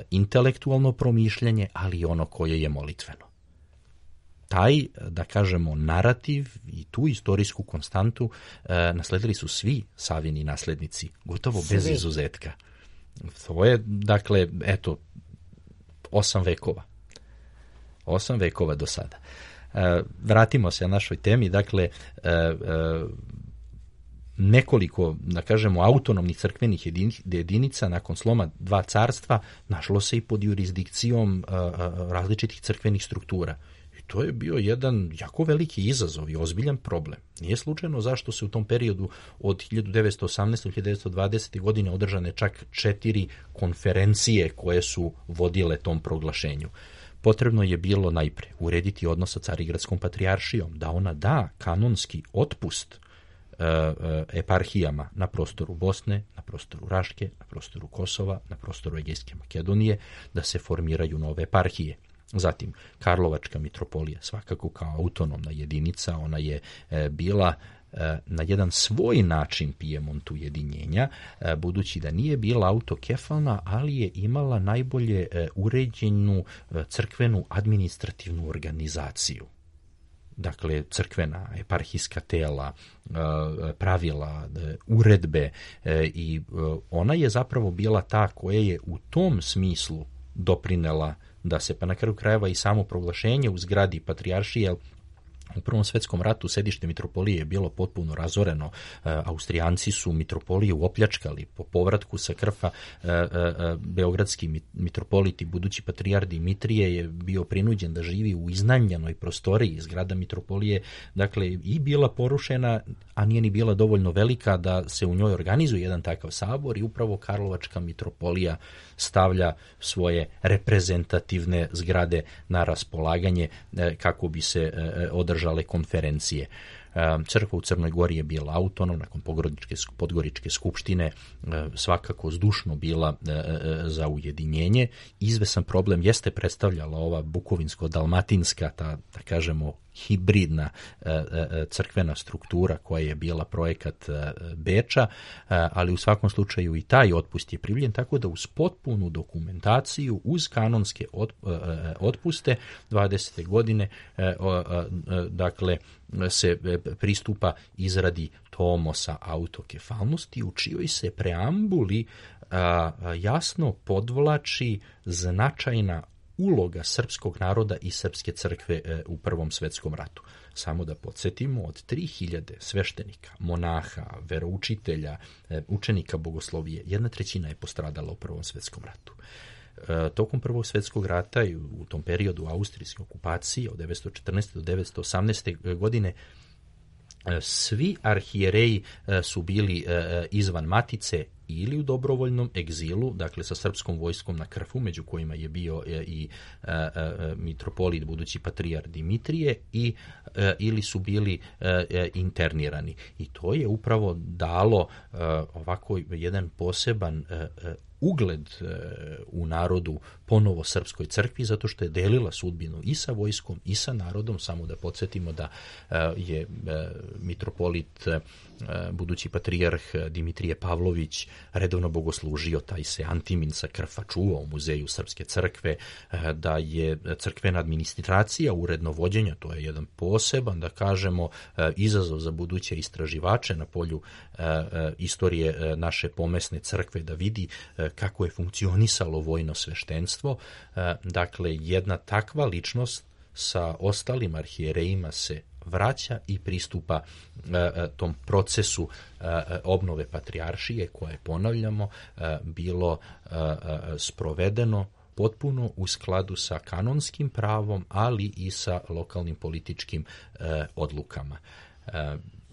intelektualno promišljanje, ali i ono koje je molitveno. Taj, da kažemo, narativ i tu istorijsku konstantu e, nasledili su svi Savini naslednici, gotovo svi. Bez izuzetka. To je, dakle, eto, osam vekova. Osam vekova do sada. E, vratimo se na našoj temi, dakle, e, e, nekoliko, da kažemo, autonomnih crkvenih jedinica nakon sloma dva carstva našlo se i pod jurisdikcijom a, a, različitih crkvenih struktura. I to je bio jedan jako veliki izazov i ozbiljan problem. Nije slučajno zašto se u tom periodu od hiljadu devetsto osamnaeste. do hiljadu devetsto dvadesete. godine održane čak četiri konferencije koje su vodile tom proglašenju. Potrebno je bilo najpre urediti odnos sa Carigradskom patrijaršijom, da ona da kanonski otpust eparhijama na prostoru Bosne, na prostoru Raške, na prostoru Kosova, na prostoru Egejske Makedonije, da se formiraju nove eparhije. Zatim, Karlovačka mitropolija, svakako kao autonomna jedinica, ona je e, bila e, na jedan svoj način Pijemontu ujedinjenja, e, budući da nije bila autokefalna, ali je imala najbolje e, uređenu e, crkvenu administrativnu organizaciju. Dakle, crkvena, eparhijska tela, pravila, uredbe i ona je zapravo bila ta koja je u tom smislu doprinela da se, pa na kraju krajeva i samo proglašenje u zgradi patrijaršije, u Prvom svetskom ratu sedište mitropolije je bilo potpuno razoreno. E, Austrijanci su mitropoliju opljačkali. Po povratku sa Krfa e, e, beogradski mitropolit i budući patrijarh Dimitrije je bio prinuđen da živi u iznajmljenoj prostoriji. Zgrada mitropolije, dakle, i bila porušena, a nije ni bila dovoljno velika da se u njoj organizuje jedan takav sabor i upravo Karlovačka mitropolija stavlja svoje reprezentativne zgrade na raspolaganje e, kako bi se e, održale konferencije. Crkva u Crnoj Gori je bila autonomna, nakon Podgoričke skupštine svakako zdušno bila za ujedinjenje. Izvesan problem jeste predstavljala ova bukovinsko-dalmatinska, ta, da kažemo, hibridna crkvena struktura koja je bila projekat Beča, ali u svakom slučaju i taj otpust je privljen, tako da uz potpunu dokumentaciju, uz kanonske otpuste dvadesete godine, dakle, se pristupa izradi tomosa autokefalnosti, u čijoj se preambuli a, jasno podvlači značajna uloga srpskog naroda i srpske crkve e, u Prvom svetskom ratu. Samo da podsjetimo, od tri hiljade sveštenika, monaha, veroučitelja, e, učenika bogoslovije, jedna trećina je postradala u Prvom svetskom ratu. E, tokom Prvog svjetskog rata i u tom periodu austrijske okupacije od devetsto četrnaeste. do devetsto osamnaeste. godine svi arhijereji su bili izvan matice ili u dobrovoljnom egzilu, dakle sa srpskom vojskom na Krfu, među kojima je bio i e, e, mitropolit, budući patrijar Dimitrije, i, e, ili su bili e, internirani. I to je upravo dalo e, ovako jedan poseban e, ugled e, u narodu ponovo srpskoj crkvi, zato što je delila sudbinu i sa vojskom i sa narodom. Samo da podsjetimo da e, je e, mitropolit, e, budući patrijarh Dimitrije Pavlović, redovno bogoslužio, taj se Antimin sa Krfa čuvao u muzeju Srpske crkve, e, da je crkvena administracija, uredno vođenja, to je jedan poseban, da kažemo, e, izazov za buduće istraživače na polju e, e, istorije e, naše pomesne crkve, da vidi e, kako je funkcionisalo vojno sveštenstvo. Dakle, jedna takva ličnost sa ostalim arhijerejima se vraća i pristupa tom procesu obnove patrijaršije, koje, ponavljamo, bilo sprovedeno potpuno u skladu sa kanonskim pravom, ali i sa lokalnim političkim odlukama.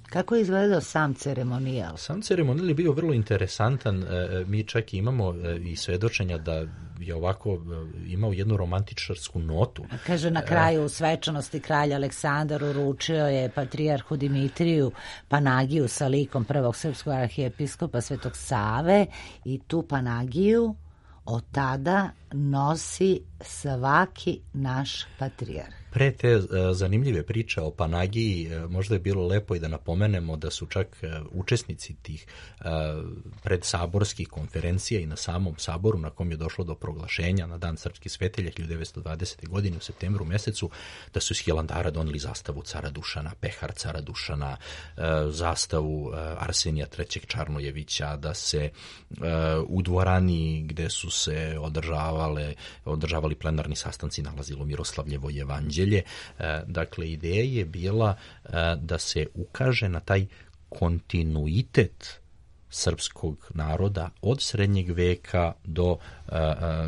Kako je izgledao sam ceremonijal? Sam ceremonijal je bio vrlo interesantan. Mi čak imamo i svedočenja da je ovako imao jednu romantičarsku notu. Kaže, na kraju u svečanosti kralj Aleksandar uručio je patrijarhu Dimitriju Panagiju sa likom prvog srpskog arhijepiskopa Svetog Save, i tu Panagiju od tada nosi svaki naš patrijarh. Pre te uh, zanimljive priče o Panagiji, uh, možda je bilo lepo i da napomenemo da su čak uh, učesnici tih uh, predsaborskih konferencija i na samom saboru, na kom je došlo do proglašenja na Dan srpskih svetelja hiljadu devetsto dvadesete. godine u septembru mesecu, da su iz Hilandara doneli zastavu cara Dušana, pehar cara Dušana, uh, zastavu uh, Arsenija trećeg Čarnojevića, da se uh, u dvorani gde su se održavale, održavali plenarni sastanci nalazilo Miroslavljevo evanđelje. Dakle, ideja je bila da se ukaže na taj kontinuitet srpskog naroda od srednjeg veka do,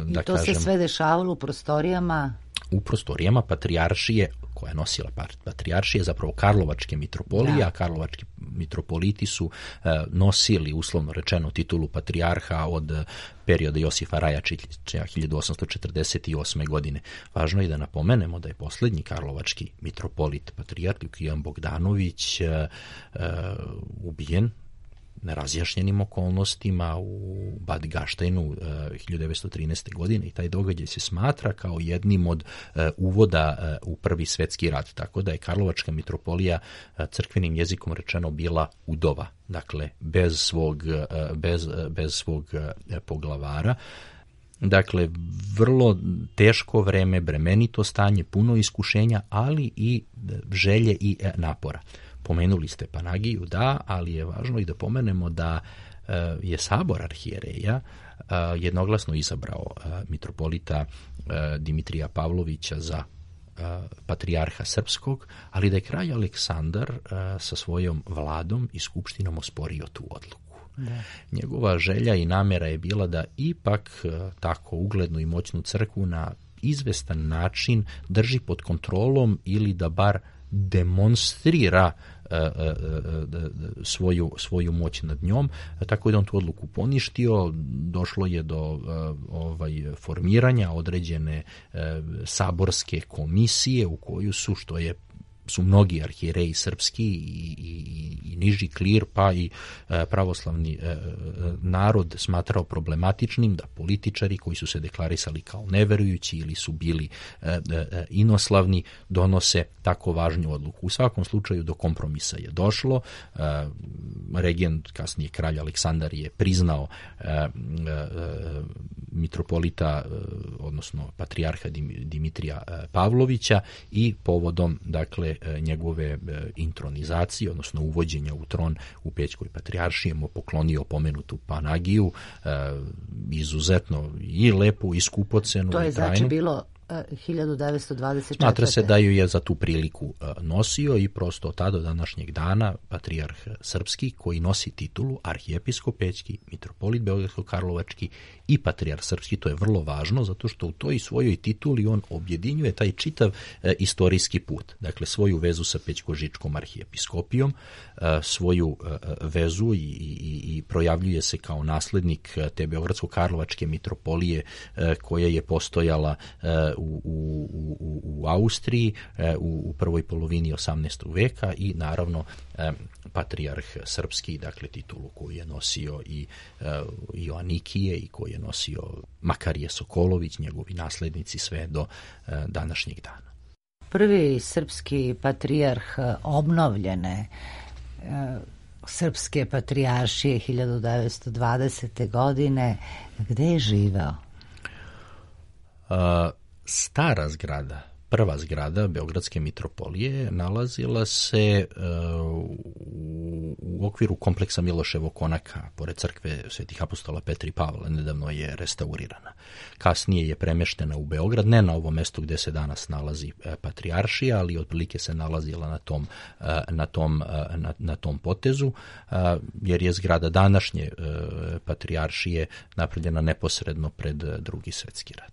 da I to kažem, se sve dešavalo u prostorijama? U prostorijama patrijaršije, koja je nosila patrijaršije, zapravo Karlovačke mitropolije, da. A karlovački mitropoliti su e, nosili, uslovno rečeno, titulu patrijarha od perioda Josifa Rajačića hiljadu osamsto četrdeset osme. godine. Važno je da napomenemo da je poslednji karlovački mitropolit, patrijarh Lukijan Bogdanović, e, e, ubijen nerazjašnjenim okolnostima u Bad Gaštejnu uh, hiljadu devetsto trinaeste. godine, i taj događaj se smatra kao jednim od uh, uvoda uh, u Prvi svetski rat, tako da je Karlovačka mitropolija uh, crkvenim jezikom rečeno bila udova, dakle bez svog, uh, bez, uh, bez svog uh, poglavara. Dakle, vrlo teško vreme, bremenito stanje, puno iskušenja, ali i želje i uh, napora. Pomenuli ste Panagiju, da, ali je važno i da pomenemo da uh, je sabor arhijereja uh, jednoglasno izabrao uh, mitropolita uh, Dimitrija Pavlovića za uh, patrijarha srpskog, ali da je kralj Aleksandar uh, sa svojom vladom i skupštinom osporio tu odluku. Da. Njegova želja i namera je bila da ipak uh, tako uglednu i moćnu crkvu na izvestan način drži pod kontrolom, ili da bar demonstrira uh, uh, svoju, svoju moć nad njom, tako da on tu odluku poništio. Došlo je do uh, ovaj, formiranja određene uh, saborske komisije u koju su, što je su mnogi arhijereji srpski i, i, i niži klir, pa i e, pravoslavni e, narod smatrao problematičnim da političari koji su se deklarisali kao neverujući ili su bili e, e, inoslavni donose tako važnu odluku. U svakom slučaju do kompromisa je došlo. E, regent, kasnije kralj Aleksandar, je priznao e, e, mitropolita, e, odnosno patrijarha Dimitrija Pavlovića, i povodom, dakle, njegove intronizacije, odnosno uvođenja u tron u Pećkoj patrijaršiji, mu poklonio pomenutu Panagiju, izuzetno i lepu i skupocenu. To je i trajnu. Znači bilo hiljadu devetsto dvadeset četvrte. Smatra se da ju je za tu priliku nosio i prosto od tada do današnjeg dana patrijarh srpski koji nosi titulu arhijepiskop pećki, mitropolit beogradsko-karlovački i patrijarh srpski, to je vrlo važno zato što u toj svojoj tituli on objedinjuje taj čitav e, istorijski put. Dakle, svoju vezu sa pećko-žičkom arhijepiskopijom, e, svoju e, vezu i, i, i projavljuje se kao naslednik te beogradsko-karlovačke mitropolije e, koja je postojala e, u, u, u, u Austriji e, u, u prvoj polovini osamnaestog veka i naravno e, patrijarh srpski, dakle titulu koju je nosio i e, Joanikije i koju je nosio Makarije Sokolović, njegovi naslednici sve do e, današnjeg dana. Prvi srpski patrijarh obnovljene e, srpske patrijaršije hiljadu devetsto dvadesete. godine, gde je živeo? Uh, stara zgrada, prva zgrada Beogradske mitropolije nalazila se uh, u, u okviru kompleksa Miloševog konaka, pored crkve Svetih apostola Petra i Pavla, nedavno je restaurirana. Kasnije je premeštena u Beograd, ne na ovom mestu gde se danas nalazi uh, patrijaršija, ali otprilike se nalazila na tom, uh, na tom, uh, na, na tom potezu, uh, jer je zgrada današnje uh, patrijaršije napravljena neposredno pred uh, Drugi svetski rat.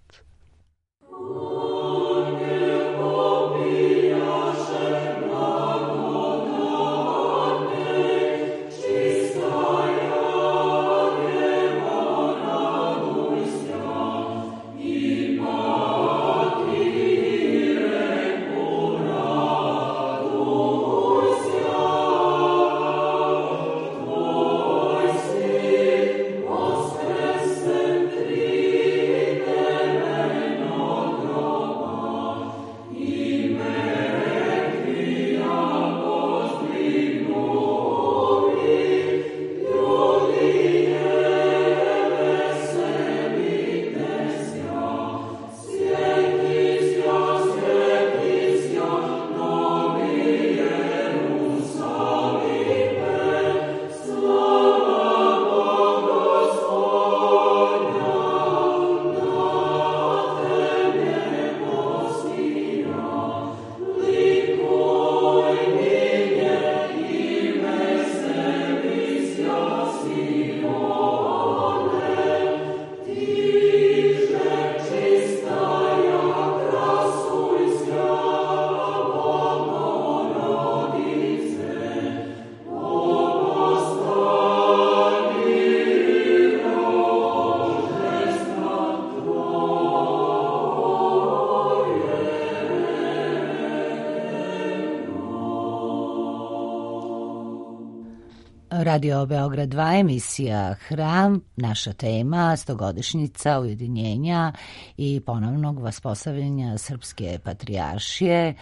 Radio Beograd dva, emisija Hram, naša tema, stogodišnjica ujedinjenja i ponovnog vaspostavljanja Srpske patrijaršije.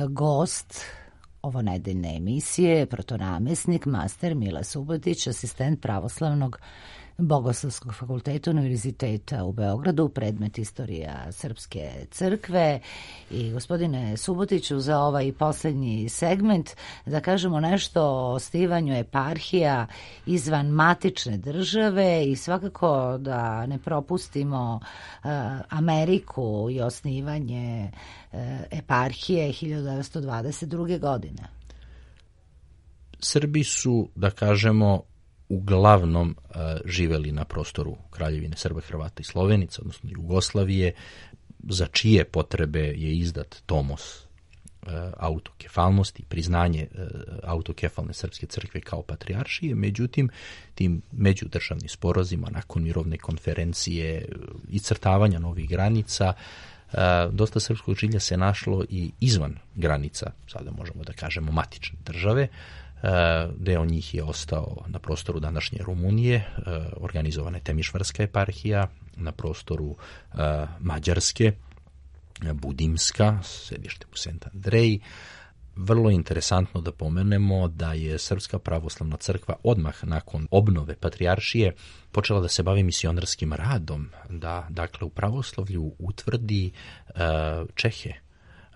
Gost ovonedeljne emisije, protonamesnik, master Mile Subotić, asistent pravoslavnog Bogoslovskog fakulteta Univerziteta u Beogradu, predmet istorija Srpske crkve. I gospodine Subotiću, za ovaj poslednji segment da kažemo nešto o osnivanju eparhija izvan matične države i svakako da ne propustimo uh, Ameriku i osnivanje uh, eparhije hiljadu devetsto dvadeset druge. godine. Srbi su, da kažemo, uglavnom uh, živeli na prostoru Kraljevine Srba, Hrvata i Slovenica, odnosno Jugoslavije, za čije potrebe je izdat tomos uh, autokefalnosti, priznanje uh, autokefalne Srpske crkve kao patrijaršije. Međutim, tim međudržavnim sporozima nakon mirovne konferencije i crtavanja novih granica, uh, dosta srpskog žilja se našlo i izvan granica, sada možemo da kažemo matične države. Deo njih je ostao na prostoru današnje Rumunije, organizovana je Temišvarska eparhija, na prostoru Mađarske, Budimska, sedište u Sent Andreji. Vrlo interesantno da pomenemo da je Srpska pravoslavna crkva odmah nakon obnove patrijaršije počela da se bavi misionarskim radom, da dakle u pravoslavlju utvrdi Čehe,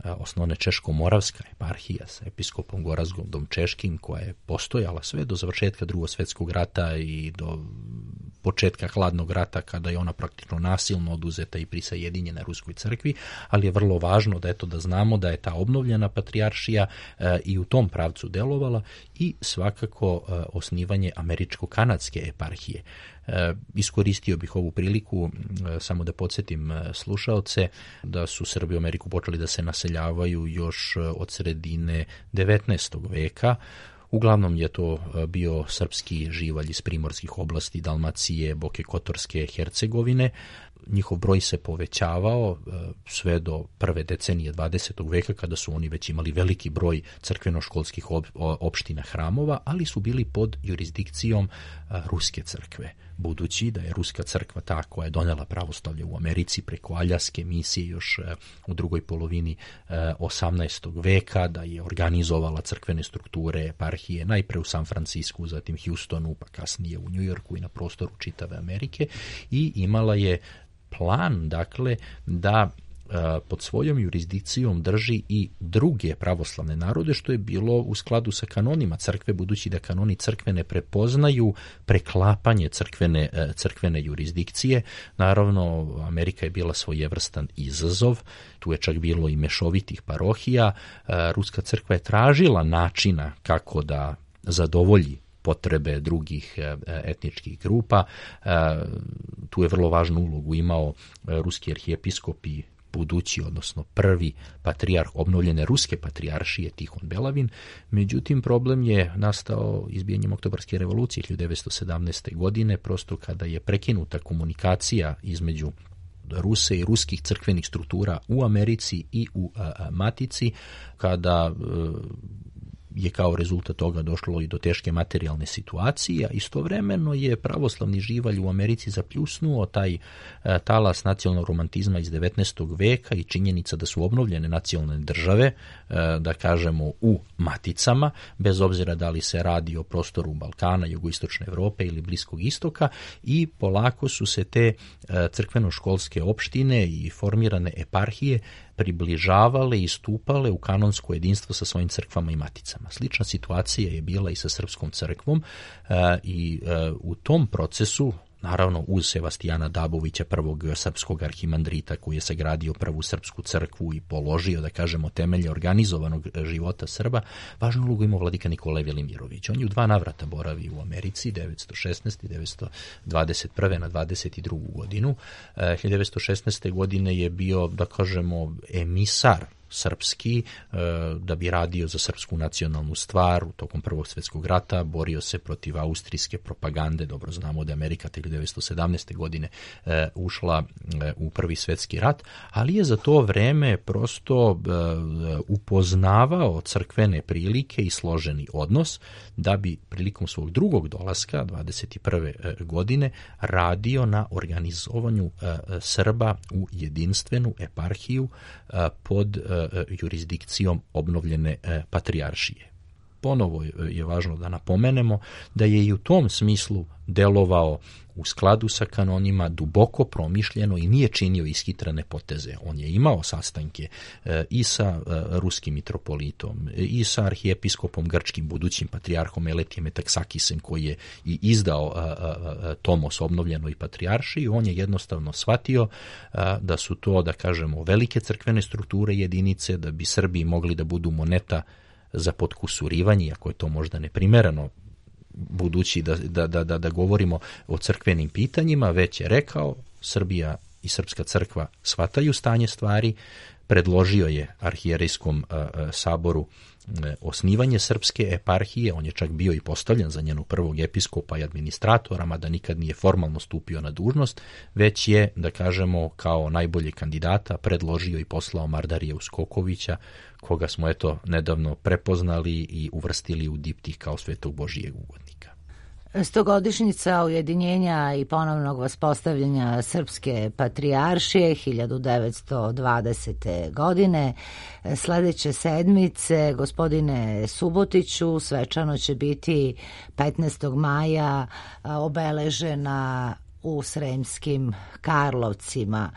osnovne Češko-Moravska eparhija sa episkopom Gorazgodom Češkim, koja je postojala sve do završetka Drugog svjetskog rata i do početka hladnog rata kada je ona praktično nasilno oduzeta i prisajedinjena Ruskoj crkvi, ali je vrlo važno da eto da znamo da je ta obnovljena patrijaršija e, i u tom pravcu delovala i svakako e, osnivanje američko-kanadske eparhije. E, iskoristio bih ovu priliku e, samo da podsjetim e, slušaoce da su Srbi u Ameriku počeli da se naseljavaju još e, od sredine devetnaestog veka. Uglavnom je to bio srpski živalj iz primorskih oblasti, Dalmacije, Boke Kotorske, Hercegovine. Njihov broj se povećavao sve do prve decenije dvadesetog veka kada su oni već imali veliki broj crkveno-školskih opština hramova, ali su bili pod jurisdikcijom Ruske crkve. Budući da je Ruska crkva ta koja je donela pravoslavlje u Americi preko Aljaske misije još u drugoj polovini osamnaestog veka, da je organizovala crkvene strukture, eparhije, najpre u San Francisku, zatim Houstonu, pa kasnije u Njujorku i na prostoru čitave Amerike i imala je plan, dakle, da pod svojom jurisdikcijom drži i druge pravoslavne narode, što je bilo u skladu sa kanonima crkve, budući da kanoni crkve ne prepoznaju preklapanje crkvene, crkvene jurisdikcije. Naravno, Amerika je bila svojevrstan izazov, tu je čak bilo i mešovitih parohija. Ruska crkva je tražila načina kako da zadovolji potrebe drugih etničkih grupa. Tu je vrlo važnu ulogu imao ruski arhijepiskop i budući, odnosno prvi patrijarh obnovljene Ruske patrijaršije Tihon Belavin. Međutim, problem je nastao izbijanjem Oktobarske revolucije hiljadu devetsto sedamnaeste. godine, prosto kada je prekinuta komunikacija između Ruse i ruskih crkvenih struktura u Americi i u a, a, Matici, kada a, je kao rezultat toga došlo i do teške materijalne situacije, a istovremeno je pravoslavni živalj u Americi zapljusnuo taj e, talas nacionalnog romantizma iz devetnaestog veka i činjenica da su obnovljene nacionalne države, e, da kažemo u maticama, bez obzira da li se radi o prostoru Balkana, jugoistočne Evrope ili Bliskog istoka, i polako su se te e, crkveno-školske opštine i formirane eparhije približavale i stupale u kanonsko jedinstvo sa svojim crkvama i maticama. Slična situacija je bila i sa srpskom crkvom e, i e, u tom procesu, naravno uz Sevastijana Dabovića, prvog srpskog arhimandrita koji je sagradio prvu srpsku crkvu i položio, da kažemo, temelje organizovanog života Srba, važnu ulogu imao vladika Nikolaj Velimirović. On je u dva navrata boravi u Americi, devetsto šesnaeste. i devetsto dvadeset prve. na dvadeset drugu. godinu. hiljadu devetsto šesnaeste. godine je bio, da kažemo, emisar srpski, da bi radio za srpsku nacionalnu stvar u tokom Prvog svjetskog rata, borio se protiv austrijske propagande. Dobro znamo da je Amerika hiljadu devetsto sedamnaeste. godine ušla u Prvi svjetski rat, ali je za to vreme prosto upoznavao crkvene prilike i složeni odnos, da bi prilikom svog drugog dolaska dvadeset prve. godine radio na organizovanju Srba u jedinstvenu eparhiju pod jurisdikcijom obnovljene patrijaršije. Ponovo je važno da napomenemo da je i u tom smislu delovao u skladu sa kanonima, duboko promišljeno i nije činio ishitrene poteze. On je imao sastanke i sa ruskim mitropolitom, i sa arhijepiskopom grčkim, budućim patrijarhom Eletijem Metaksakisem, koji je i izdao tomos obnovljenoj patrijaršiji. On je jednostavno shvatio da su to, da kažemo, velike crkvene strukture jedinice, da bi Srbi mogli da budu moneta za potkusurivanje, ako je to možda neprimereno, budući da, da, da, da govorimo o crkvenim pitanjima, već je rekao, Srbija i Srpska crkva shvataju stanje stvari, predložio je arhijerejskom a, a, saboru a, osnivanje srpske eparhije. On je čak bio i postavljen za njenog prvog episkopa i administratora, mada nikad nije formalno stupio na dužnost, već je, da kažemo, kao najbolji kandidata predložio i poslao Mardarija Uskokovića, koga smo eto nedavno prepoznali i uvrstili u diptih kao svetog Božijeg ugodnika. Stogodišnjica ujedinjenja i ponovnog vaspostavljanja Srpske patrijaršije hiljadu devetsto dvadesete. godine. Sledeće sedmice, gospodine Subotiću, svečano će biti petnaestog maja obeležena u Sremskim Karlovcima.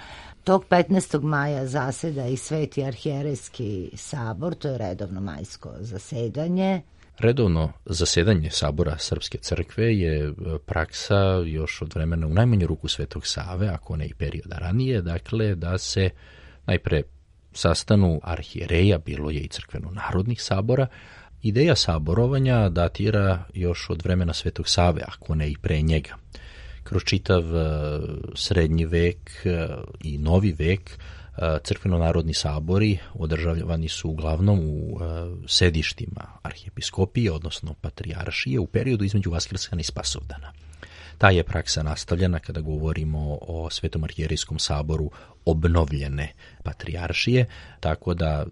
Tog petnaestog maja zaseda i Sveti arhijerejski sabor, to je redovno majsko zasedanje. Redovno zasedanje Sabora Srpske crkve je praksa još od vremena u najmanju ruku Svetog Save, ako ne i perioda ranije, dakle da se najpre sastanu arhijereja, bilo je i crkveno-narodnih sabora. Ideja saborovanja datira još od vremena Svetog Save, ako ne i pre njega. Kroz čitav srednji vek i novi vek crkveno-narodni sabori održavani su uglavnom u sedištima arhijepiskopije, odnosno patrijaršije, u periodu između Vaskrskana i Spasovdana. Ta je praksa nastavljena kada govorimo o Svetom arhijerejskom saboru obnovljene patrijaršije, tako da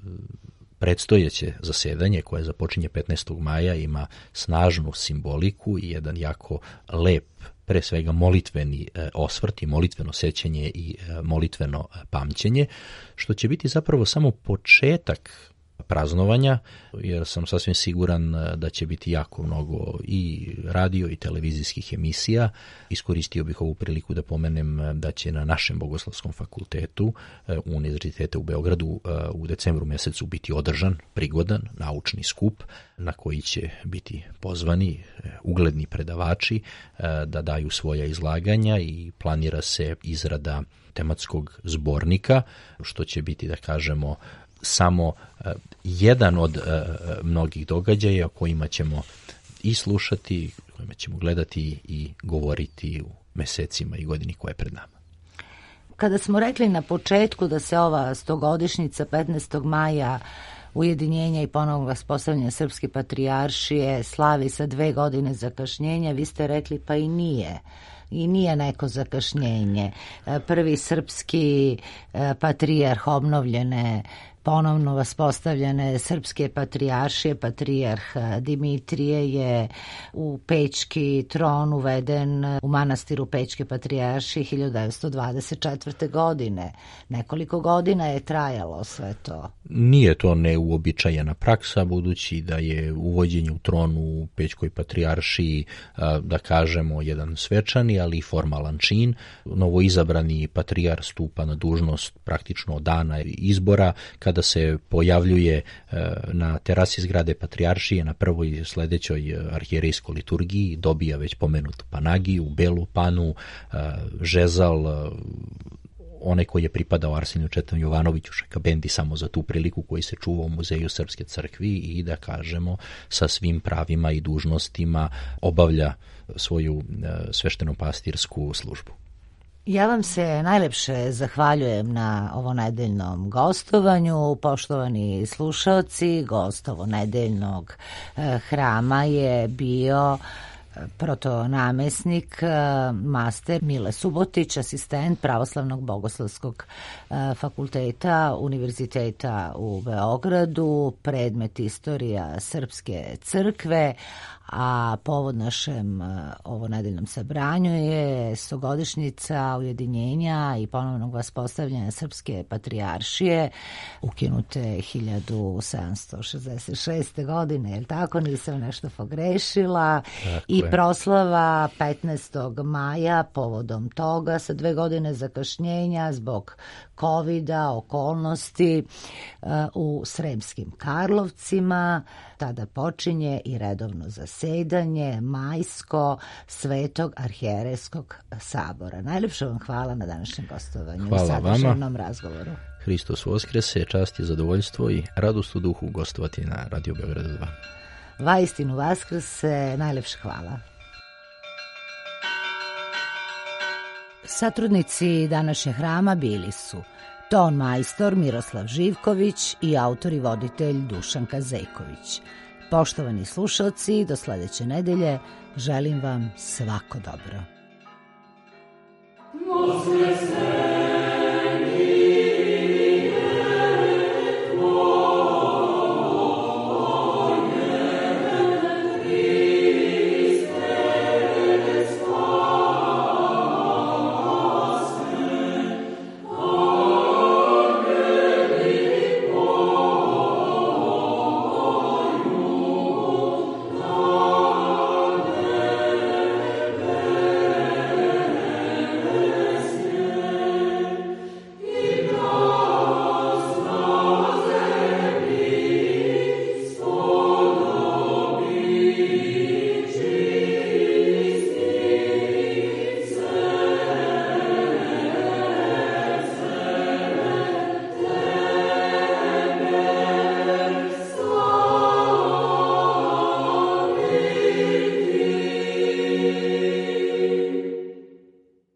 predstojeće zasedanje koje započinje petnaestog maja ima snažnu simboliku i jedan jako lep, pre svega molitveni osvrt i molitveno sećanje i molitveno pamćenje, što će biti zapravo samo početak praznovanja, jer sam sasvim siguran da će biti jako mnogo i radio i televizijskih emisija. Iskoristio bih ovu priliku da pomenem da će na našem Bogoslovskom fakultetu Univerziteta u Beogradu u decembru mesecu biti održan prigodan naučni skup na koji će biti pozvani ugledni predavači da daju svoja izlaganja i planira se izrada tematskog zbornika, što će biti, da kažemo, samo uh, jedan od uh, mnogih događaja o kojima ćemo i slušati, kojima ćemo gledati i govoriti u mesecima i godini koja je pred nama. Kada smo rekli na početku da se ova stogodišnjica petnaestog maja ujedinjenja i ponovnog uspostavljanja Srpske patrijaršije slavi sa dve godine zakašnjenja, vi ste rekli pa i nije. I nije neko zakašnjenje. Prvi srpski patrijarh obnovljene, ponovno vaspostavljene Srpske patrijaršije, patrijarh Dimitrije, je u Pećki tron uveden u manastiru Pećke patrijaršije hiljadu devetsto dvadeset četvrte. godine. Nekoliko godina je trajalo sve to. Nije to neuobičajena praksa, budući da je uvođenje u tron u Pećkoj patrijaršiji, da kažemo, jedan svečani, ali i formalan čin. Novoizabrani patrijar stupa na dužnost praktično od dana izbora, kada se pojavljuje na terasi zgrade patrijaršije na prvoj sledećoj arhijerejskoj liturgiji, dobija već pomenutu panagiju, belu panu, žezal, onaj koji je pripadao Arseniju Četanu Jovanoviću Šakabendi samo za tu priliku, koji se čuva u Muzeju Srpske crkvi i, da kažemo, sa svim pravima i dužnostima obavlja svoju svešteno-pastirsku službu. Ja vam se najlepše zahvaljujem na ovonedeljnom gostovanju. Poštovani slušaoci, gost ovonedeljnog hrama je bio protonamesnik, master Mile Subotić, asistent Pravoslavnog bogoslovskog fakulteta Univerziteta u Beogradu, predmet istorija Srpske crkve, a povod našem ovonedeljnom sabranju je stogodišnjica ujedinjenja i ponovnog vaspostavljanja Srpske patrijaršije, ukinute hiljadu sedamsto šezdeset šeste. godine, je li tako? Nisam nešto pogrešila. Tako I je. Proslava petnaestog maja povodom toga sa dve godine zakašnjenja zbog kovida, okolnosti u Sremskim Karlovcima. Tada počinje i redovno zasedanje majsko Svetog arhijerejskog sabora. Najlepše vam hvala na današnjem gostovanju. Hvala i sadržajnom razgovoru. Hristos Voskrese, čast i zadovoljstvo i radost u duhu gostovati na Radio Beograd dva. Vaistinu Vaskrse, najlepše hvala. Satrudnici današnjeg hrama bili su ton majstor Miroslav Živković i autor i voditelj Dušan Kazejković. Poštovani slušalci, do sledeće nedelje želim vam svako dobro.